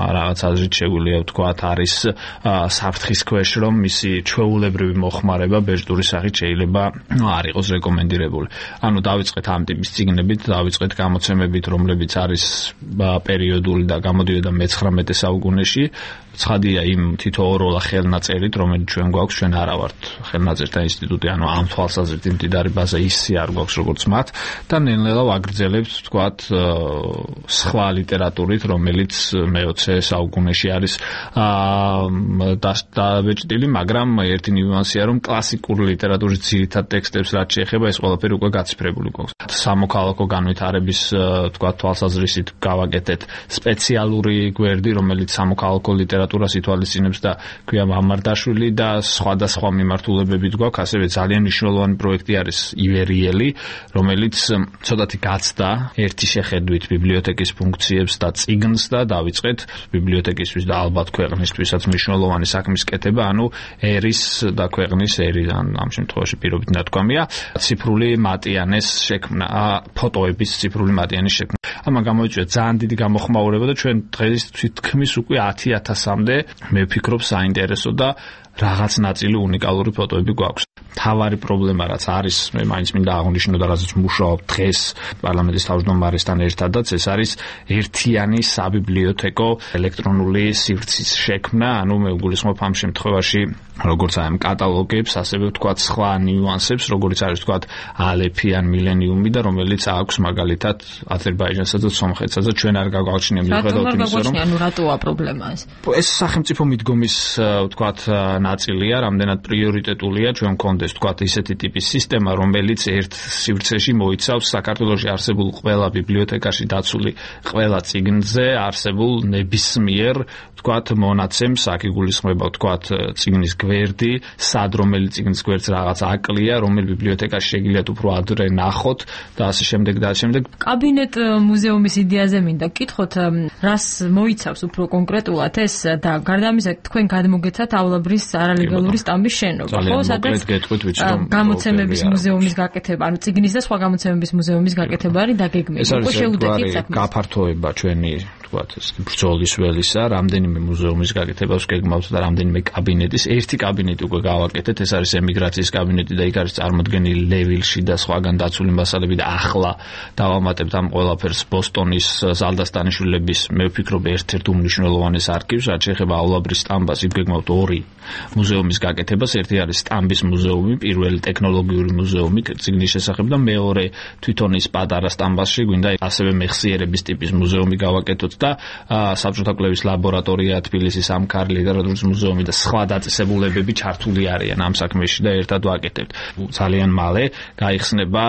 რაღაც აზრით შეგვიძლია ვთქვათ არის საფრთხის ქვეშ, რომ მისი ჩვეულებრივი მოხმარება ბეჭდური სახით შეიძლება არ იყოს რეკომენდირებული. ანუ დავიწყეთ ამ ტიპის წიგნებით, დავიწყეთ გამოცემებით, რომლებიც არის პერიოდული და გამოდიოდა მეცხრამეტე საუკუნეში. ცხადია იმ თითოეულა ხელნაწერით, რომელიც ჩვენ გვაქვს, ჩვენ არა ვართ ხელნაწერთა ინსტიტუტი, ანუ ამ თვალსაზრისით მდიდარი ბაზა ისე არ გვაქვს როგორც მათ და ნელ-ნელა ვაგრძელებთ თქვათ სხვა ლიტერატურით, რომელიც მეოცე საუკუნეში არის დაბეჭდილი, მაგრამ ერთი ნიუანსია, რომ კლასიკური ლიტერატურის ძირითად ტექსტებს რაც შეეხება, ეს ყველაფერი უკვე გაციფრებული გვაქვს. სამოქალაქო განვითარების თქვათ თვალსაზრისით გავაკეთეთ სპეციალური გვერდი, რომელიც სამოქალაქო ლიტერატურას ითვალისწინებს და ქვია მამარდაშვილი და სხვადასხვა მიმართულებებით გვაქვს. ასევე ძალიან მნიშვნელოვანი პროექტი არის ივერიელი, რომელიც ცოტათი გაცდა ერთი შეხედვით ბიბლიოთეკის ფუნქციებს და წიგნს და დავიწყეთ ბიბლიოთეკისთვის და ალბათ ქვეყნისთვისაც მნიშვნელოვანი საქმის კეთება, ანუ ერის და ქვეყნის ერი ამ შემთხვევაში პირობით ნათქვამია ციფრული მატიანეს შექმნა, ფოტოების ციფრული მატიანის შექმნა. ამან გამოიწვია ძალიან დიდი გამოხმაურება და ჩვენ დღეს თითქმის უკვე ათი ათასამდე მე ვფიქრობ საინტერესო და რაღაც ნაწილი უნიკალური ფოტოები გვაქვს. თავარი პრობლემა რაც არის, მე მაინც მინდა აღვნიშნო და რაზეც მუშაობ დღეს პარლამენტის თავმჯდომარესთან ერთადაც, ეს არის ერთიანი საბიბლიოთეკო ელექტრონული სივრცის შექმნა, ანუ მე ვგულისხმობ ამ შემთხვევაში როგორც აი ამ კატალოგებს, ასევე ვთქვათ სხვა ნიუანსებს, როგორც არის ვთქვათ ალეფი ან მილენიუმი და რომელიც აქვს მაგალითად აზერბაიჯანსა და სომხეთსა და ჩვენ არ გაგვაჩნია მიუხედავად იმისა, რომ ანუ რატოა პრობლემა ეს? ეს სახელმწიფო მიდგომის ვთქვათ ნაწილია, რამდენად პრიორიტეტულია ჩვენ გქონდეს ვთქვათ ისეთი ტიპის სისტემა, რომელიც ერთ სივრცეში მოიცავს საქართველოში არსებულ ყველა ბიბლიოთეკაში დაცული ყველა წიგნზე არსებულ ნებისმიერ ვთქვათ მონაცემს, აქ იგულისხმება ვთქვათ წიგნის გვერდი, სად რომელი წიგნის გვერდს რაღაც აკლია, რომელ ბიბლიოთეკაში შეგიძლიათ უფრო ადრე ნახოთ და ასე შემდეგ და ასე შემდეგ. კაბინეტ მუზეუმის იდეაზე მინდა გკითხოთ, რას მოიცავს უფრო კონკრეტულად ეს და გარდა ამისა თქვენ გადმოგეცათავლაბრის არალეგალური სტამბის შენობა, ხო, სადაც გამოცემების მუზეუმის გაკეთება, ანუ წიგნის და სხვა გამოცემების მუზეუმის გაკეთება არის დაგეგმილი. უკვე შეუდეთით საქმეს. გაფართოება ჩვენი ვთქვათ ეს ბრძოლის ველისა, რამდენიმე მუზეუმის გაკეთებას გეგმავთ და რამდენიმე კაბინეტის. ერთი კაბინეტი უკვე გავაკეთეთ, ეს არის ემიგრაციის კაბინეტი და იქ არის წარმოდგენილი ლევილში და სხვაგან დაცული მასალები და ახლა დავამატებთ ამ ყველაფერს ბოსტონის ზალდასტანიშვილების, მე ვფიქრობ ერთ-ერთ უმნიშვნელოვანეს არქივს, რაც შეეხებაავლაბრის სტამბას, იქ გეგმავთ ორი მუზეუმის გაკეთებას. ერთი არის სტამბის მუზეუმი, პირველი ტექნოლოგიური მუზეუმი წიგნის შესახებ და მეორე თვითონ ის პატარა სტამბაში გვინდა ასევე მეხსიერების ტიპის მუზეუმი გავაკეთოთ და საბჭოთა კვლევის ლაბორატორია თბილისის ამქარი ლიტერატურის მუზეუმი და სხვა დაწესებულებები ჩართული არიან ამ საქმეში და ერთად ვაკეთებთ. ძალიან მალე გაიხსნება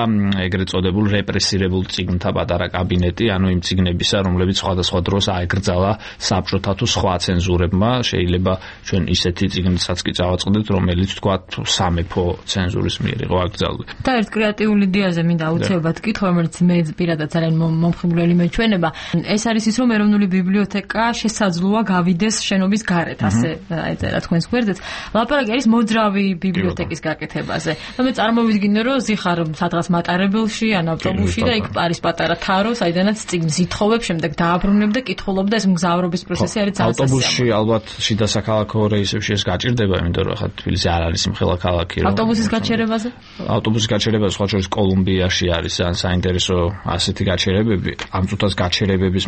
ეგრეთ წოდებულ რეპრესირებულ წიგნთა პატარა კაბინეტი, ანუ იმ წიგნებისა, რომლებიც სხვადასხვა დროს აეკრძალა საბჭოთა თუ სხვა ცენზურებმა. შეიძლება ჩვენ ისეთი წიგნებსაც კი წავაწყდეთ, რომელიც თქვათ სამეფო ცენზურის მიერ იყო აკრძალული. და ერთ კრეატიულ იდეაზე მინდა აუცილებლად კითხო, რომელიც მე პირადად ძალიან მომხიბვლელი მეჩვენება. ეს არის ის, რომ ეროვნული ბიბლიოთეკა შესაძლოა გავიდეს შენობის გარეთ, ასე ეწერა თქვენს გვერდით. ლაპარაკი არის მოძრავი ბიბლიოთეკის გაკეთებაზე. და მე წარმოვიდგინე, რომ ზიხარ სადღაც მატარებელში ან ავტობუსში და იქ არის პატარა თარო, საიდანაც წიგნს ითხოვებ, შემდეგ დააბრუნებ და კითხულობ და ეს მგზავრობის პროცესი არის ძალიან ავტობუსში ალბათ შიდა საქალაქო რეისებში ეს გაჭირდება, იმიტომ რომ ხა თბილისი არ არის მხელა ქალაქი. ავტობუსის გაჩერებაზე? ავტობუსის გაჩერებაზე სხვა შორის კოლუმბიაში არის ან საინტერესო ასეთი გაჩერებები. ამ წუთას გაჩერებების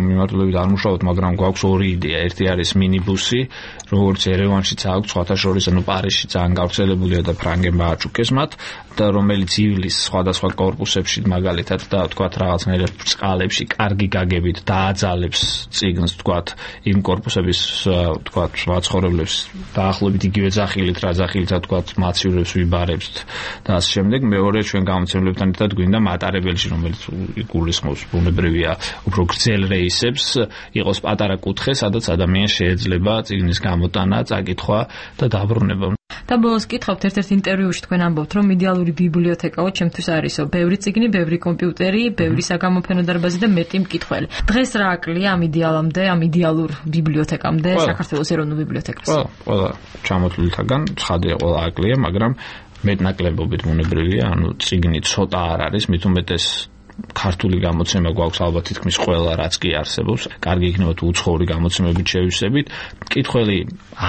მიმართულებით არ მუშაობთ, მაგრამ გვაქვს ორი იდეა. ერთი არის მინიბუსი, როგორც ერევანშიც აქვს, სხვათა შორის ანუ პარიზში ძალიან გავრცელებულია და ფრანგებმა აჭუქეს მათ და რომელიც ივლის სხვადასხვა კორპუსებში მაგალითად და თქვათ რაღაცნაირად ბრწყალებში კარგი გაგებით დააძალებს წიგნს თქვათ იმ კორპუსების თქვათ მაცხოვრებლებს დაახლოებით იგივე ზახილით რა ზახილითაც თქვათ მაცივრებს ვიბარებთ და ასე შემდეგ. მეორე ჩვენ გამოცემლებთან ერთად გვინდა მატარებელში, რომელიც გულისხმობს ბუნებრივია უფრო გრძელ რეისებს, იყოს პატარა კუთხე, სადაც ადამიანს შეიძლება წიგნის გამოტანა, წაკითხვა და დაბრუნება. და ბოლოს კითხავთ, ერთ-ერთ ინტერვიუში თქვენ ამბობთ, რომ იდეალური ბიბლიოთეკაო ჩემთვის არისო, ბევრი წიგნი, ბევრი კომპიუტერი, ბევრი საგამოფენო დარბაზი და მეტი მკითხველი. დღეს რა აკლია ამ იდეალამდე, ამ იდეალურ ბიბლიოთეკამდე საქართველოს ეროვნულ ბიბლიოთეკას? ყველა, ყველა ჩამოთვლილთაგან ცხადია, ყველა აკლია, მაგრამ მეტნაკლებობით ბუნებრივია, ანუ წიგნი ცოტა არ არის, მით უმეტეს ქართული გამოცემა გვაქვს ალბათ თითქმის ყველა რაც კი არსებობს. კარგი იქნება თუ უცხოური გამოცემებით შევისებით. მკითხველი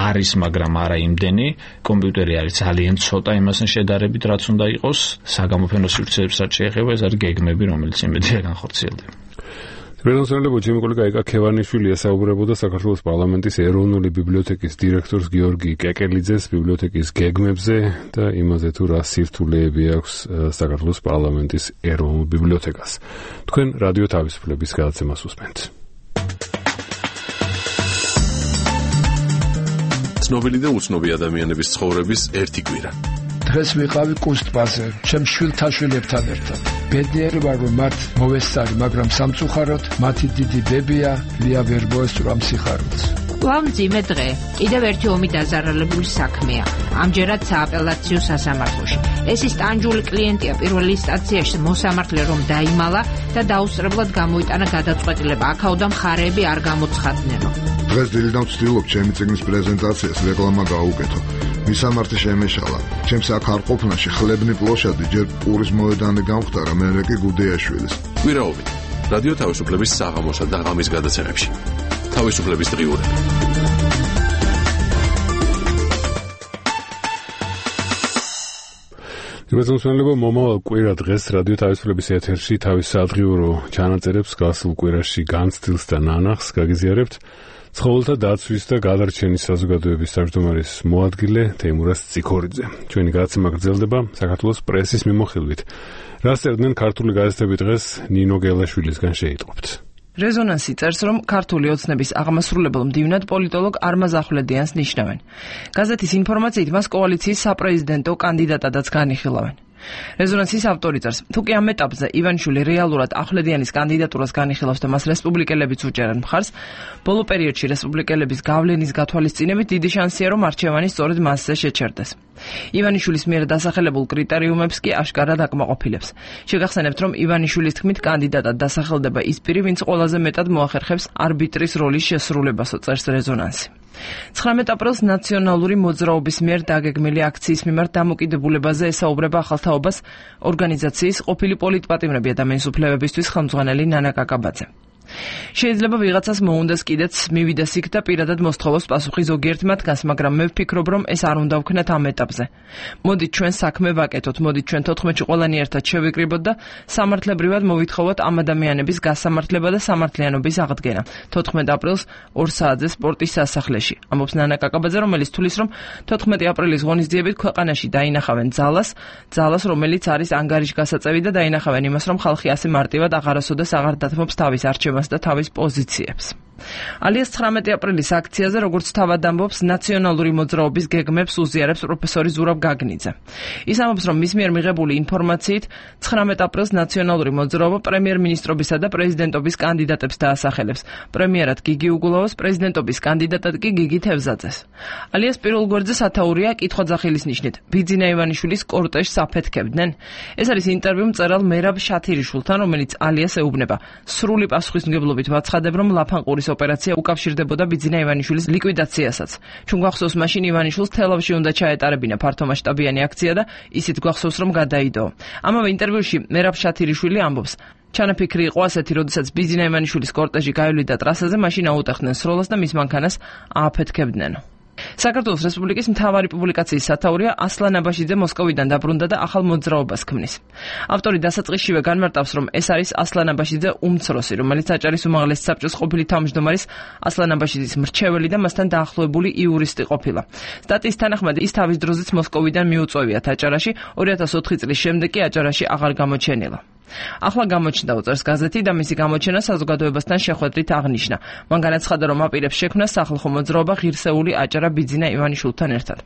არის, მაგრამ არა იმდენი. კომპიუტერი არის ძალიან ცოტა იმასთან შედარებით, რაც უნდა იყოს. საგამოფენო სივრცეებსაც შეეხება, ეს არის გეგმები, რომელიც იმედია განხორციელდება. პრეზიდენტი ბოჯიმიკოლი კაიკა ქევანიშვილი ესაუბრებოდა საქართველოს პარლამენტის ეროვნული ბიბლიოთეკის დირექტორს გიორგი კეკელიძეს ბიბლიოთეკის გეგმებზე და იმაზე თუ რა სირთულეები აქვს საქართველოს პარლამენტის ეროვნულ ბიბლიოთეკას. თქვენ რადიო თავისუფლების გადაცემას უსმენთ. ცნობილი და უცნობი ადამიანების ცხოვრების ერთი კვირა. დღეს ვიყავი კუსტბაზე, ჩემ შვილთან შვილებთან ერთად. ბედნიერი ვარ, რომ მათ მოვესწარი, მაგრამ სამწუხაროდ მათი დიდი ბებია ლია ვერ მოესწრო ამ სიხარულს. ვამძიმე დღე. კიდევ ერთი ომი დაზარალებული საქმეა. ამჯერად სააპელაციო სასამართლოში. ეს ის ტანჯული კლიენტია პირველი ინსტანციაში მოსამართლე რომ დაიმალა და დაუსწრებლად გამოიტანა გადაწყვეტილება. აქაოდა მხარეები არ გამოცხადნენო. დღეს დილიდან ვცდილობ ჩემი წიგნის პრეზენტაციას რეკლამა გაუკეთო. მისამართი შემეშალა. ჩემს აქ არ ყოფნაში ხლებნი პლოშადი ჯერ პურის მოედანი გამختარა, მერე კი გუდეაშვილის. კვირაობით რადიო თავისუფლების საღამოსა და ღამის გადაცემებში. თავისუფლების დღიურები. გასულსმენლებო, მომავალ კვირა დღეს რადიო თავისუფლების ეთერში თავის სადღიურო ჩანაწერებს გასულ კვირაში განცდილს და ნანახს გაგიზიარებთ. ცხოველთა დაცვის და გადარჩენის საზოგადოების თავმჯდომარის მოადგილე თეიმურაზ ციქორიძე. ჩვენი გადაცემა გრძელდება საქართველოს პრესის მიმოხილვით. რას წერდნენ ქართული გაზეთები დღეს ნინო გელაშვილისგან შეიტყობთ. რეზონანსი წერს, რომ ქართული ოცნების აღმასრულებელ მდივნად პოლიტოლოგ არმაზ ახვლედიანს ნიშნავენ. გაზეთის ინფორმაციით მას კოალიციის საპრეზიდენტო კანდიდატადაც განიხილავენ. რეზონანსის ავტორი წერს, თუ კი ამ ეტაპზე ივანიშვილი რეალურად ახვლედიანის კანდიდატურას განიხილავს და მას რესპუბლიკელებიც უჭერენ მხარს, ბოლო პერიოდში რესპუბლიკელების გავლენის გათვალისწინებით დიდი შანსია, რომ არჩევანი სწორედ მასზე შეჩერდეს. ივანიშვილის მიერ დასახელებულ კრიტერიუმებს კი აშკარად აკმაყოფილებს. შეგახსენებთ, რომ ივანიშვილის თქმით კანდიდატად დასახელდება ის პირი, ვინც ყველაზე მეტად მოახერხებს არბიტრის როლის შესრულებასო, წერს რეზონანსი. ცხრამეტ აპრილს ნაციონალური მოძრაობის მიერ დაგეგმილი აქციის მიმართ დამოკიდებულებაზე ესაუბრება ახალთაობას ორგანიზაციის ყოფილი პოლიტპატიმრები ადამიანის უფლებებისთვის ხელმძღვანელი ნანა კაკაბაძე. შეიძლება ვიღაცას მოუნდეს კიდეც მივიდეს იქ და პირადად მოსთხოვოს პასუხი ზოგიერთ მათგანს, მაგრამ მე ვფიქრობ, რომ ეს არ უნდა ვქნათ ამ ეტაპზე. მოდით ჩვენ საქმე ვაკეთოთ, მოდით ჩვენ თოთხმეტში ყველანი ერთად შევიკრიბოთ და სამართლებრივად მოვითხოვოთ ამ ადამიანების გასამართლება და სამართლიანობის აღდგენა. თოთხმეტ აპრილს ორ საათზე სპორტის სასახლეში. ამბობს ნანა კაკაბაძე, რომელიც თulis რომ თოთხმეტი აპრილის ღონისძიებით ქვეყანაში დაინახავენ ძალას, ძალას, რომელიც არის ანგარიშგასაწევი და დაინახავენ იმას, რომ ხალხი ასე მარტივად აღარასოდეს აღარ დათმობს თავის არჩევას და თავის პოზიციებს. ალიას ცხრამეტი აპრილის აქციაზე, როგორც თავად ამბობს, ნაციონალური მოძრაობის გეგმებს უზიარებს პროფესორი ზურაბ გაგნიძე. ის ამბობს, რომ მის მიერ მიღებული ინფორმაციით ცხრამეტ აპრილს ნაციონალური მოძრაობა პრემიერ-მინისტრობისა და პრეზიდენტობის კანდიდატებს დაასახელებს. პრემიერად გიგი უგულავას, პრეზიდენტობის კანდიდატად კი გიგი თევზაძეს. ალიას პირველ გვერდზე სათაურია კითხვა-ძახილის ნიშნით. ბიძინა ივანიშვილის კორტეჟს აფეთქებდნენ. ეს არის ინტერვიუ მწერალ მერაბ შათირიშვილთან, რომელიც ალიას ეუბნება. სრული პასუხისმგებლობით ვაცხადებ, რომ ლაფანყურის ოპერაცია უკავშირდებოდა ბიძინა ივანიშვილის ლიკვიდაციასაც. ჩვენ გვახსოვს, მაშინ ივანიშვილს თელავში უნდა ჩაეტარებინა ფართომასშტაბიანი აქცია და ისიც გვახსოვს, რომ გადაიდო. ამავე ინტერვიუში მერაბ შათირიშვილი ამბობს, ჩანაფიქრი იყო ასეთი, როდესაც ბიძინა ივანიშვილის კორტეჟი გაივლიდა ტრასაზე, მაშინ აუტეხდნენ სროლას და მის მანქანას ააფეთქებდნენ. საქართველოს რესპუბლიკის მთავარი პუბლიკაციის სათაურია ასლან აბაშიძე მოსკოვიდან დაბრუნდა და ახალ მოძრაობას ქმნის. ავტორი დასაწყისშივე განმარტავს, რომ ეს არის ასლან აბაშიძე უმცროსი, რომელიც აჭარის უმაღლესი საბჭოს ყოფილი თავმჯდომარის ასლან აბაშიძის მრჩეველი და მასთან დაახლოებული იურისტი ყოფილა. სტატიის თანახმად ის თავის დროზეც მოსკოვიდან მიუწვევიათ აჭარაში, ორი ათას ოთხი წლის შემდეგ კი აჭარაში აღარ გამოჩენილა. ახლა გამოჩნდა უწევს გაზეთი და მისი გამოჩენა საზოგადოებასთან შეხვედრით აღნიშნა. მან განაცხადა, რომ აპირებს შექმნას სახალხო მოძრაობა ღირსეული აჭარა ბიძინა ივანიშვილთან ერთად.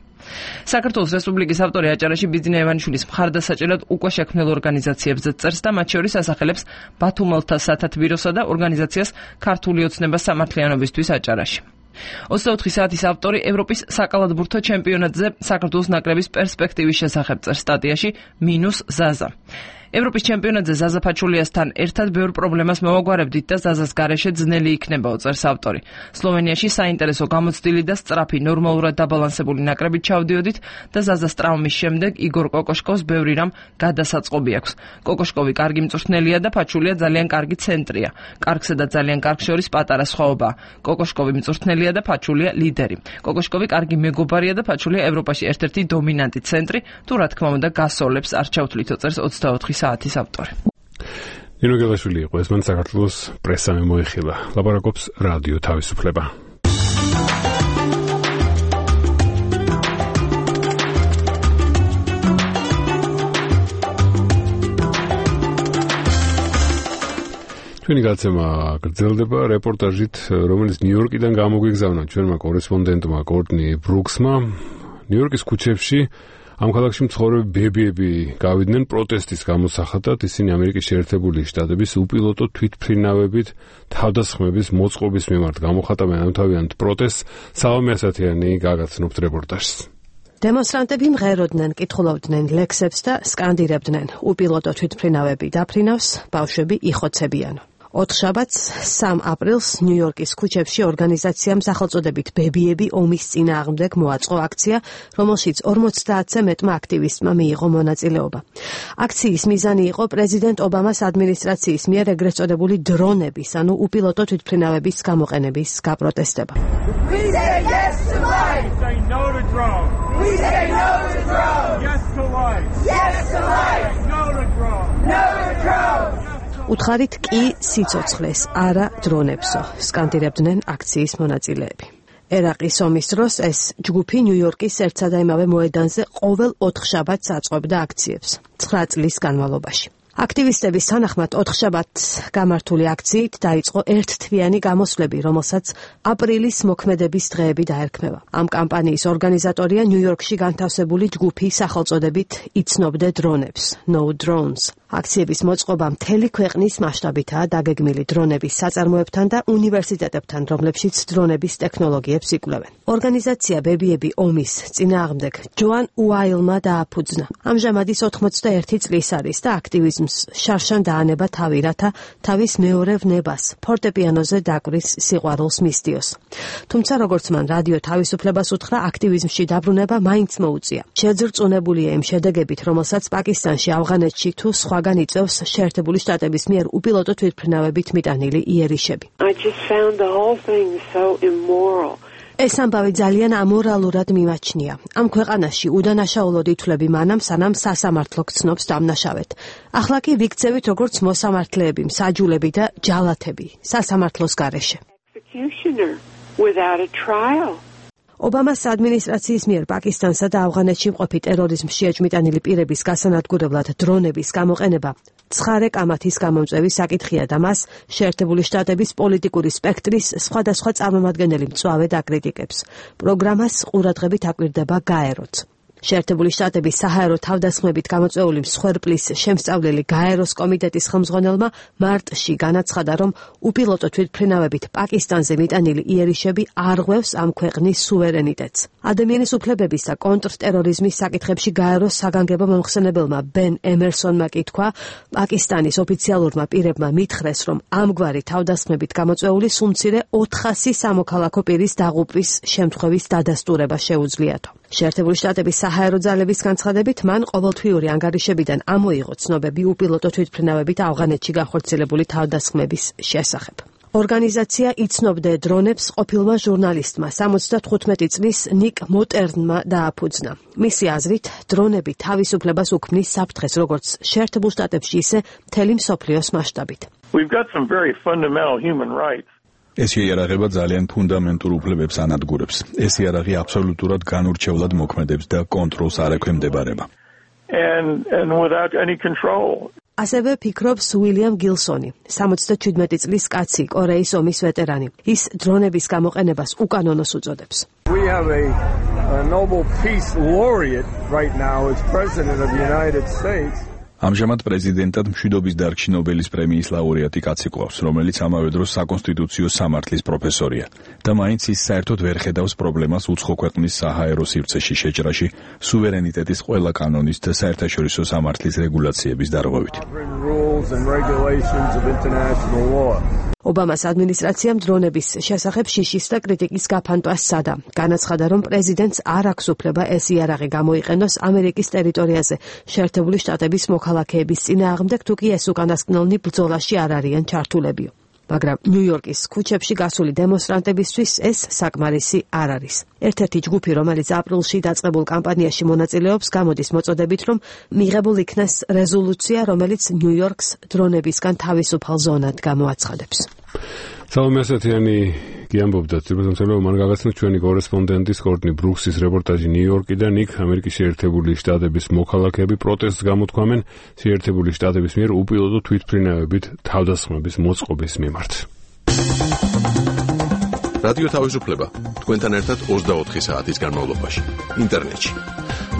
საქართველოს რესპუბლიკის ავტორი აჭარაში ბიძინა ივანიშვილის მხარდასაჭერად უკვე შექმნილ ორგანიზაციებზე წერს და მათ შორის ასახელებს ბათუმელთა სათათბიროსა და ორგანიზაციას ქართული ოცნება სამართლიანობისთვის აჭარაში. ოცდაოთხი საათის ავტორი ევროპის საკალათბურთო ჩემპიონატზე საქართველოს ნაკრების პერსპექტივის შესახებ წერს სტატიაში მინუს ზაზა. ევროპის ჩემპიონატზე ზაზა ფაჩულიასთან ერთად ბევრ პრობლემას მოვაგვარებდით და ზაზას გარეშე ძნელი იქნება, წერს ავტორი. სლოვენიაში საინტერესო გამოცდილი და სწრაფი ნორმალურად დაბალანსებული ნაკრებით ჩავდიოდით და ზაზას ტრაუმის შემდეგ იგორ კოკოშკოვს ბევრი რამ გადასაწყობი აქვს. კოკოშკოვი კარგი მწვრთნელია და ფაჩულია ძალიან კარგი ცენტრია. კარგსა და ძალიან კარგ შორის პატარა სხვაობაა. კოკოშკოვი მწვრთნელია და ფაჩულია ლიდერი. კოკოშკოვი კარგი მეგობარია და ფაჩულია ევროპაში ერთ-ერთი დომინანტი ცენტრი, თუ რა თქმა უნდა გასოლებს არ ჩავთვლითო, წერს ოცდაოთხი საათის ავტორი. ნინო გელაშვილი იყო ეს, მან საქართველოს პრესამ მოიხილა. ლაპარაკობს რადიო თავისუფლება. ჩვენი გაცემა გრძელდება რეპორტაჟით, რომელიც ნიუ-იორკიდან გამოგვიგზავნა ჩვენმა კორესპონდენტმა კორტნი ბრუქსმა. ნიუ-იორკის ქუჩებში ამ ქალაქში მცხოვრები ბებიები გავიდნენ პროტესტის გამოსახატად. ისინი ამერიკის შეერთებული შტატების უპილოტო თვითმფრინავებით თავდასხმების მოწყობის მიმართ გამოხატავენ ამთავიანთ პროტესტს. სალომე ასათიანი გაგაცნობთ რეპორტაჟს. დემონსტრანტები მღეროდნენ, კითხულობდნენ ლექსებს და სკანდირებდნენ: უპილოტო თვითმფრინავები დაფრინავს, ბავშვები იხოცებიან. ოთხშაბათს სამ აპრილს ნიუ-იორკის ქუჩებში ორგანიზაციამ სახელწოდებით ბებიები ომის წინააღმდეგ მოაწყო აქცია, რომელშიც ორმოცდაათზე მეტმა აქტივისტმა მიიღო მონაწილეობა. აქციის მიზანი იყო პრეზიდენტ ობამას ადმინისტრაციის მიერ ეგრეთ წოდებული დრონების, ანუ უპილოტო თვითმფრინავების გამოყენების გაპროტესტება. We say yes to life. We say no to drones. We say no to drones. Yes to life. Yes to life. No to drones. No to drones. უთხარით კი სიცოცხლეს, არა დრონებსო, სკანდირებდნენ აქციის მონაწილეები. ერაყის ომის დროს ეს ჯგუფი ნიუ-იორკის ერთსა და იმავე მოედანზე ყოველ ოთხშაბათს აწყობდა აქციებს, ცხრა წლის განმავლობაში. აქტივისტების თანახმად ოთხშაბათს გამართული აქციით დაიწყო ერთთვიანი გამოსვლები, რომელსაც აპრილის მოქმედების დღეები დაერქმევა. ამ კამპანიის ორგანიზატორია ნიუ-იორკში განთავსებული ჯგუფი სახელწოდებით იცნობდე დრონებს, No Drones. აქციების მოწყობა მთელი ქვეყნის მასშტაბითაა დაგეგმილი დრონების საწარმოებთან და უნივერსიტეტებთან, რომლებშიც დრონების ტექნოლოგიებს იკვლევენ. ორგანიზაცია ბებიები ომის წინააღმდეგ ჯოან უაილმა დააფუძნა. ამჟამად ის ოთხმოცდაერთი წლის არის და აქტივიზმის რიტმს შარშან დაანება თავი, რათა თავის მეორე ვნებას ფორტეპიანოზე დაკვრის სიყვარულს მისდიოს. თუმცა როგორც მან რადიო თავისუფლებას უთხრა, აქტივიზმში დაბრუნება მაინც მოუწია. შეძრწუნებულია იმ შედეგებით, რომელსაც პაკისტანში, ავღანეთში თუ სხვაგან იწევს შეერთებული შტატების მიერ უპილოტო თვითმფრინავებით მიტანილი იერიშები. I just found the whole thing so immoral. ეს ამბავი ძალიან ამორალურად მიმაჩნია. ამ ქვეყანაში უდანაშაულოდ ითვლები მანამ, სანამ სასამართლო გცნობს დამნაშავედ. ახლა კი ვიქცევით როგორც მოსამართლეები, მსაჯულები და ჯალათები სასამართლოს გარეშე. Executioner without a trial. ობამას ადმინისტრაციის მიერ პაკისტანსა და ავღანეთში მყოფი ტერორიზმში ეჭმიტანილი პირების გასანადგურებლად დრონების გამოყენება ცხარე კამათის გამომწვევი საკითხია და მას შეერთებული შტატების პოლიტიკური სპექტრის სხვადასხვა წარმომადგენელი მწვავედ აკრიტიკებს. პროგრამას ყურადღებით აკვირდება გაეროც. შეერთებული შტატების საჰაერო თავდასხმებით გამოწვეული მსხვერპლის შემსწავლელი გაეროს კომიტეტის ხელმძღვანელმა მარტში განაცხადა, რომ უპილოტო თვითმფრინავებით პაკისტანზე მიტანილი იერიშები არღვევს ამ ქვეყნის სუვერენიტეტს. ადამიანის უფლებების და კონტრტერორიზმის საკითხებში გაეროს საგანგებო მომხსენებელმა ბენ ემერსონმა კი თქვა, პაკისტანის ოფიციალურმა პირებმა მითხრეს, რომ ამგვარი თავდასხმებით გამოწვეული სულ მცირე ოთხასი სამოქალაქო პირის დაღუპვის შემთხვევის დადასტურება შეუძლიათო. შეერთებული შტატების საჰაერო ძალების განცხადებით, მან ყოველთვიური ანგარიშებიდან ამოიღო ცნობები უპილოტო თვითმფრინავებით ავღანეთში განხორციელებული თავდასხმების შესახებ. ორგანიზაცია იცნობდე დრონებს ყოფილმა ჟურნალისტმა სამოცდათხუთმეტი წლის ნიკ მოტერნმა დააფუძნა. მისი აზრით, დრონები თავისუფლებას უქმნის საფრთხეს როგორც შეერთებულ შტატებში, ისე მთელი მსოფლიოს მასშტაბით. We've got some very fundamental human rights. ეს იარაღება ძალიან ფუნდამენტურ უფლებებს ანადგურებს. ეს იარაღი აბსოლუტურად განურჩევლად მოქმედებს და კონტროლს არ ექვემდებარება. And and without any control. ასევე ფიქრობს უილიამ გილსონი, სამოცდაჩვიდმეტი წლის კაცი, კორეის ომის ვეტერანი. ის დრონების გამოყენებას უკანონოს უწოდებს. We have a, a Nobel Peace Laureate right now as President of the United States. ამჟამად პრეზიდენტად მშვიდობის დარგში ნობელის პრემიის ლაურეატი კაცი ყავს, რომელიც ამავე დროს საკონსტიტუციო სამართლის პროფესორია და მაინც ის საერთოდ ვერ ხედავს პრობლემას უცხო ქვეყნის საჰაერო სივრცეში შეჭრაში სუვერენიტეტის ყველა კანონის და საერთაშორისო სამართლის რეგულაციების დარღვევით. ობამას ადმინისტრაციამ დრონების შესახებ შიშის და კრიტიკის გაფანტვას სცადა. განაცხადა, რომ პრეზიდენტს არ აქვს უფლება ეს იარაღი გამოიყენოს ამერიკის ტერიტორიაზე შეერთებული შტატების მოქალაქეების წინააღმდეგ, თუ კი ეს უკანასკნელნი ბრძოლაში არ არიან ჩართულებიო. მაგრამ ნიუ-იორკის ქუჩებში გასული დემონსტრანტებისთვის ეს საკმარისი არ არის. ერთ-ერთი ჯგუფი, რომელიც აპრილში დაწყებულ კამპანიაში მონაწილეობს, გამოდის მოწოდებით, რომ მიღებულ იქნას რეზოლუცია, რომელიც ნიუ-იორკს დრონებისგან თავისუფალ ზონად გამოაცხადებს. სალომე ასათიანი გიამბობდა თბილისში, მან გაგაცნო ჩვენი კორესპონდენტის კორტნი ბრუქსის რეპორტაჟი ნიუ-იორკიდან. იქ ამერიკის შეერთებული შტატების მოქალაქეები პროტესტს გამოთქვამენ შეერთებული შტატების მიერ უპილოტო თვითმფრინავებით თავდასხმების მოწყობის მიმართ. რადიო თავისუფლება თქვენთან ერთად ოცდაოთხი საათის განმავლობაში ინტერნეტში.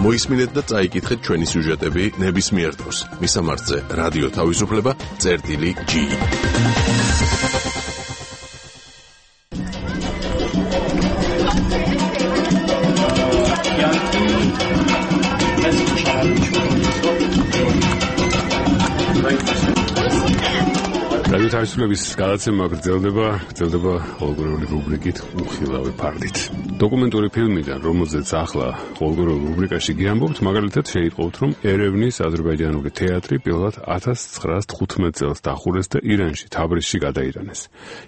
მოისმინეთ და წაიკითხეთ ჩვენი სიუჟეტები ნებისმიერ დროს. მისამართზე რადიო თავისუფლება წერტილი ჯი. რადიო თავისუფლების გადაცემა გრძელდება, გრძელდება ყოველგვარული რუბრიკით უხილავი ფარდით. დოკუმენტური ფილმიდან, რომელზეც ახლა ყოველგვარულ რუბრიკაში გიამბობთ, მაგალითად შეიტყობთ, რომ ერევნის აზერბაიჯანული თეატრი პირველად ათას ცხრაას თხუთმეტ წელს დახურეს და ირანში, თაბრიზში გადაიტანეს.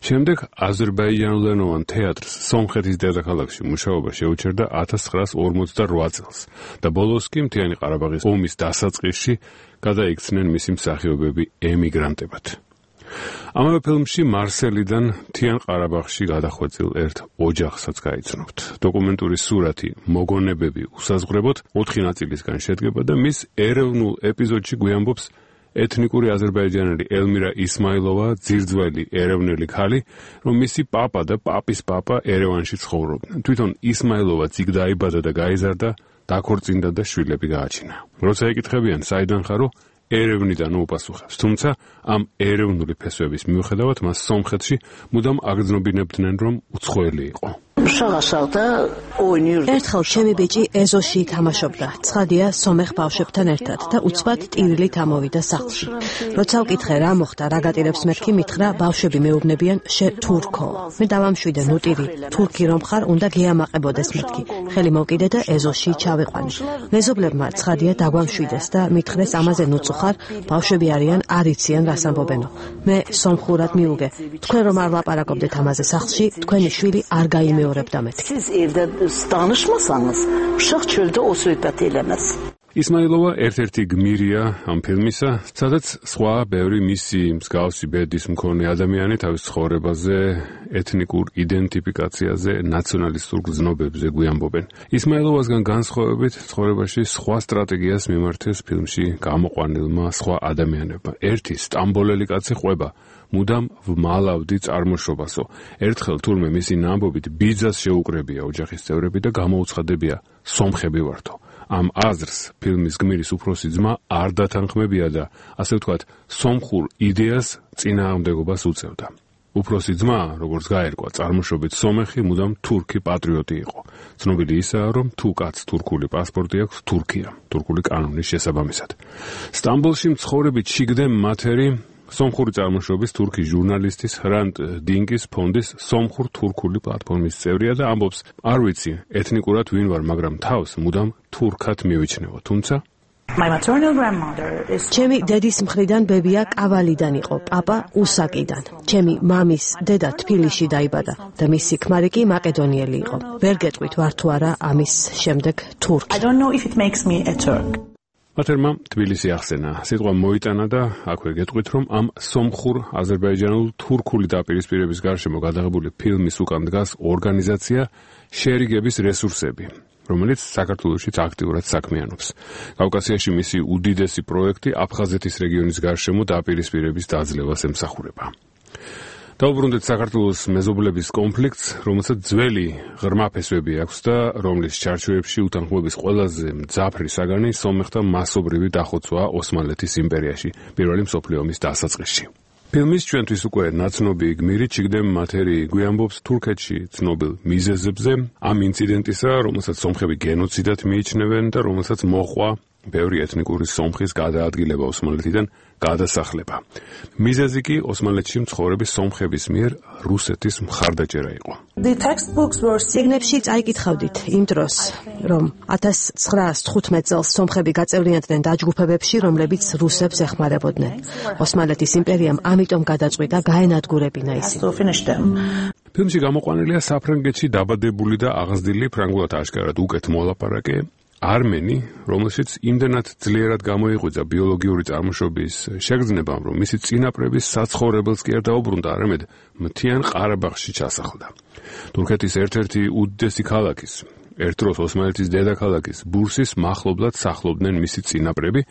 შემდეგ აზერბაიჯანულენოვან თეატრს სომხეთის დედაქალაქში მუშაობა შეუჩერდა ათას ცხრაას ორმოცდარვა წელს და ბოლოს კი მთიანი ყარაბაღის ომის დასაწყისში გადაიქცნენ მისი მსახიობები ემიგრანტებად. ამავე ფილმში მარსელიდან მთიან ყარაბაღში გადახვეწილ ერთ ოჯახსაც გაიცნობთ. დოკუმენტური სურათი მოგონებები უსაზღვრებოდ ოთხი ნაწილისგან შედგება და მის ეროვნულ ეპიზოდში გვიამბობს ეთნიკური აზერბაიჯანელი ელმირა ისმაილოვა, ძირძველი ეროვნული ქალი, რომ მისი პაპა და პაპის პაპა ერევანში ცხოვრობდნენ. თვითონ ისმაილოვა იქ დაიბადა და გაიზარდა, დაქორწინდა და შვილები გააჩინა. როცა ეკითხებიან საიდან ხარო, ერევნიდან უპასუხებს. თუმცა ამ ეროვნული ფესვების მიუხედავად მას სომხეთში მუდამ აგრძნობინებდნენ, რომ უცხოელი იყო. ერთხელ ჩემი ბიჭი ეზოში თამაშობდა. ცხადია, სომეხ ბავშვებთან ერთად და უცბად ტირილით ამოვიდა სახლში. როცა ვკითხე რა მოხდა, რა გატირებს მეთქი, მითხრა ბავშვები მეუბნებიან შე თურქო. მე დავამშვიდე, ნუ ტირი, თურქი რომ ხარ, უნდა გეამაყებოდეს მეთქი. ხელი მოვკიდე და ეზოში ჩავიყვანე. მეზობლებმა ცხადია დაგვამშვიდეს და მითხრეს ამაზე ნუწუ ხარ, ბავშვები არიან, არ იციან რას ამბობენო. მე სომხურად მიუგე. თქვენ რომ არ ლაპარაკობდეთ ამაზე სახლში, თქვენი შვილი არ გაიმეორებდა მეთქი. Siz evde danışmasanız uşaq çöldə o söhbət eləməz. ისმაილოვა ერთ-ერთი გმირია ამ ფილმისა, სადაც სხვა ბევრი მისი მსგავსი ბედის მქონე ადამიანი თავის ცხოვრებაზე, ეთნიკურ იდენტიფიკაციაზე, ნაციონალისტურ გზნობებზე გვიამბობენ. ისმაილოვასგან განსხვავებით, ცხოვრებაში სხვა სტრატეგიას მიმართეს ფილმში გამოყვანილმა სხვა ადამიანებმა. ერთი სტამბოლელი კაცი ყვება მუდამ ვმალავდი წარმოშობასო. ერთხელ თურმე მისი ნამბობით ბიძას შეუკრებია ოჯახის წევრები და გამოუცხადებია სომხები ვართო. ამ აზრს ფილმის გმირის უფროსი ძმა არ დათანხმებია და ასე ვთქვათ, სომხურ იდეას წინააღმდეგობას უწევდა. უფროსი ძმა, როგორც გაერკვა, წარმოშობით სომეხი, მუდამ თურქი პატრიოტი იყო. ცნობილი ისაა, რომ თუ კაცს თურქული პასპორტი აქვს, თურქია, თურქული კანონის შესაბამისად. სტამბოლში მცხოვრები ჩიგდე მათერი სომხური წარმოშობის თურქი ჟურნალისტის ხრანტ დინკის ფონდის სომხურ-თურქული პლატფორმის წევრია და ამბობს, არ ვიცი ეთნიკურად ვინ ვარ, მაგრამ თავს მუდამ თურქად მივიჩნევო, თუმცა ჩემი დედის მხრიდან ბებია კავალიდან იყო, პაპა უსაკიდან. ჩემი მამის დედა თბილისში დაიბადა და მისი ქმარი კი მაკედონიელი იყო. ვერ გეტყვით ვარ თუ არა ამის შემდეგ თურქი. მათერმა თბილისი ახსენა. სიტყვა მოიტანა და აქვე გეტყვით, რომ ამ სომხურ აზერბაიჯანულ თურქული დაპირისპირების გარშემო გადაღებული ფილმის უკან დგას ორგანიზაცია შერიგების რესურსები, რომელიც საქართველოშიც აქტიურად საქმიანობს. კავკასიაში მისი უდიდესი პროექტი აფხაზეთის რეგიონის გარშემო დაპირისპირების დაძლევას ემსახურება. დაუბრუნდეთ საქართველოს მეზობლების კონფლიქტს, რომელსაც ძველი ღრმა ფესვები აქვს და რომლის ჩარჩოებში უთანხმოების ყველაზე მძაფრი საგანი სომეხთა მასობრივი დახოცვაა ოსმალეთის იმპერიაში, პირველი მსოფლიო ომის დასაწყისში. ფილმის ჩვენთვის უკვე ნაცნობი გმირი ჩიგდე მათერი გვიამბობს თურქეთში ცნობილ მიზეზებზე, ამ ინციდენტისა, რომელსაც სომხები გენოციდად მიიჩნევენ და რომელსაც მოყვა ბევრი ეთნიკური სომხის გადაადგილება ოსმალეთიდან გადასახლება. მიზეზი კი ოსმალეთში მცხოვრები სომხების მიერ რუსეთის მხარდაჭერა იყო. წიგნებში წაიკითხავდით იმ დროს, რომ ათას ცხრაას თხუთმეტ წელს სომხები გაწევრიანდნენ დაჯგუფებებში, რომლებიც რუსებს ეხმარებოდნენ. ოსმალეთის იმპერიამ ამიტომ გადაწყვიტა გაენადგურებინა ისინი. ფილმში გამოყვანილია საფრანგეთში დაბადებული და აღზრდილი ფრანგულად აშკარად უკეთ მოლაპარაკე არმენი, რომელშიც იმდენად ძლიერად გამოიღვიძა ბიოლოგიური წარმოშობის შეგრძნებამ, რომ მისი წინაპრების საცხოვრებელს კი არ დაუბრუნდა, არამედ მთიან ყარაბაღში ჩასახლდა. თურქეთის ერთ-ერთი უდიდესი ქალაქის, ერთ დროს ოსმალეთის დედაქალაქის ბურსის მახლობლად სახლობდნენ მისი წინაპრები,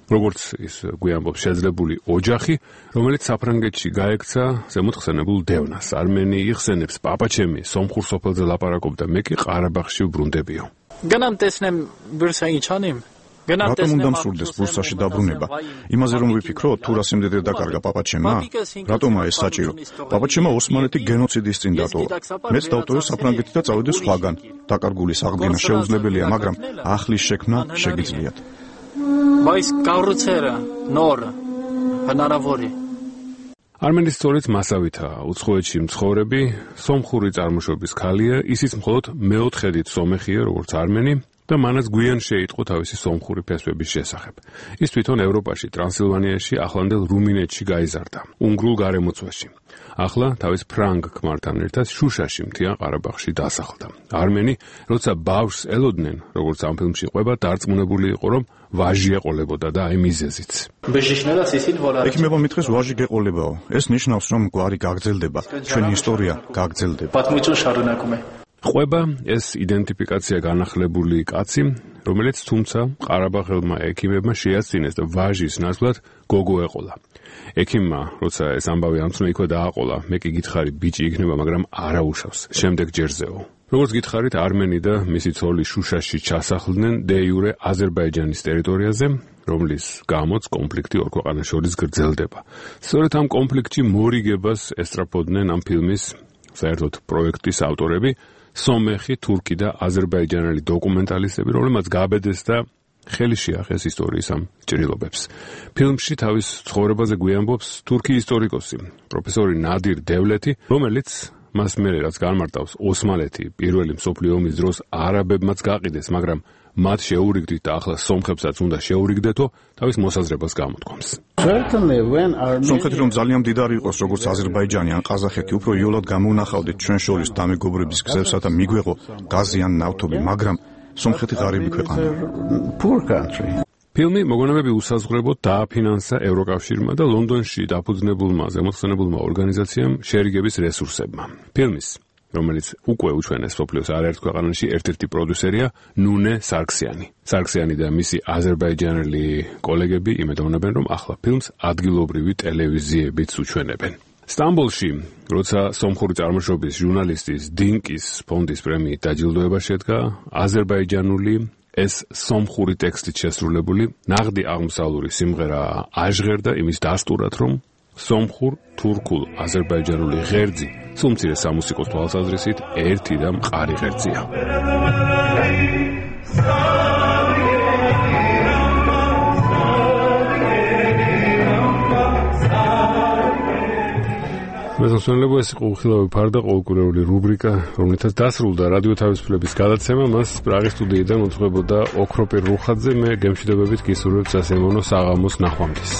როგორც ის გვიამბობს შეძლებული ოჯახი, რომელიც საფრანგეთში გაექცა ზემოთხსენებულ დევნას. არმენი იხსენებს, პაპაჩემი სომხურ სოფელზე ლაპარაკობდა, მე კი ყარაბაღში ვბრუნდებიო. განამტესნემ ბურსა იჩანიმ რატომ უნდა მსურდეს ბურსაში დაბრუნება? იმაზე რომ ვიფიქრო, თუ რა სიმდიდრე დაკარგა პაპაჩემმა? რატომაა ეს საჭირო? პაპაჩემმა ოსმალეთი გენოციდის წინ დატოვა. მეც დავტოვე საფრანგეთი და წავიდე სხვაგან. დაკარგული აღდგენა შეუძლებელია, მაგრამ ახლის შექმნა შეგიძლიათ. Բայց կառուցերը նոր հնարավոր է. არმენის სწორედ მასავითაა უცხოეთში მცხოვრები სომხური წარმოშობის ქალია, ისიც მხოლოდ მეოთხედით სომეხია, როგორც არმენი და მანაც გვიან შეიტყო თავისი სომხური ფესვების შესახებ. ის თვითონ ევროპაში, ტრანსილვანიაში, ახლანდელ რუმინეთში გაიზარდა, უნგრულ გარემოცვაში. ახლა თავის ფრანგ ქმართან ერთად შუშაში, მთიან ყარაბაღში დასახლდა. არმენი, როცა ბავშვს ელოდნენ, როგორც ამ ფილმში ყვება, დარწმუნებული იყო, რომ ვაჟი ეყოლებოდა და აი მიზეზიც. ექიმებმა მითხრეს ვაჟი გეყოლებაო. ეს ნიშნავს, რომ გვარი გაგრძელდება, ჩვენი ისტორია გაგრძელდება. ყვება ეს იდენტიფიკაცია განახლებული კაცი, რომელიც თუმცა ყარაბაღელმა ექიმებმა შეასწინეს და ვაჟის ნაცვლად გოგო ეყოლა. ექიმმა, როცა ეს ამბავი ამცნო, იქვე დააყოლა, მე კი გითხარი ბიჭი იქნება, მაგრამ არა უშავს, შემდეგ ჯერზეო. როგორც გითხარით, არმენი და მისი ცოლი შუშაში ჩასახლდნენ დე იურე აზერბაიჯანის ტერიტორიაზე, რომლის გამოც კონფლიქტი ორ ქვეყანას შორის გრძელდება. სწორედ ამ კონფლიქტში მორიგებას ესწრაფოდნენ ამ ფილმის საერთოდ პროექტის ავტორები, სომეხი, თურქი და აზერბაიჯანელი დოკუმენტალისტები, რომლებმაც გააბედეს და ხელი შეახეს ისტორიის ამ ჭრილობებს. ფილმში თავის ცხოვრებაზე გვიამბობს თურქი ისტორიკოსი, პროფესორი ნადირ დევლეთი, რომელიც მას მერე რაც განმარტავს ოსმალეთი პირველი მსოფლიო ომის დროს არაბებმაც გაყიდეს, მაგრამ მათ შეურიგდით და ახლა სომხებსაც უნდა შეურიგდეთო, თავის მოსაზრებას გამოთქვამს. სომხეთი რომ ძალიან მდიდარი იყოს, როგორც აზერბაიჯანი ან ყაზახეთი, უფრო იოლად გამოვნახავდეთ ჩვენ შორის დამეგობრების გზებსა და მიგვეღო გაზი ან ნავთობი, მაგრამ სომხეთი ღარიბი ქვეყანაა. ფილმი მოგონებები უსაზღვრებოდ დააფინანსა ევროკავშირმა და ლონდონში დაფუძნებულმა ზემოხსენებულმა ორგანიზაციამ შერიგების რესურსებმა. ფილმის, რომელიც უკვე უჩვენეს მსოფლიოს არაერთ ქვეყანაში, ერთ-ერთი პროდიუსერია ნუნე სარქსიანი. სარქსიანი და მისი აზერბაიჯანელი კოლეგები იმედოვნებენ, რომ ახლა ფილმს ადგილობრივი ტელევიზიებიც უჩვენებენ. სტამბოლში, როცა სომხური წარმოშობის ჟურნალისტის დინკის ფონდის პრემიით დაჯილდოება შედგა, აზერბაიჯანული ეს სომხური ტექსტით შესრულებული ნაღდი აღმოსავლური სიმღერა აჟღერდა იმის დასტურად, რომ სომხურ, თურქულ, აზერბაიჯანული ღერძი სულ მცირე სამუსიკოს თვალსაზრისით ერთი და მყარი ღერძია. მეზოსონლებო ეს იყო უხილავი ფარდა ყოველკვირეული რუბრიკა, რომლითაც დასრულდა რადიო თავისუფლების გადაცემა, მას პრაღის სტუდიიდან უძღვებოდა ოქროპირ რუხაძე, მე გემშვიდობებით გისურვებთ სასიამოვნო საღამოს ნახვამდის.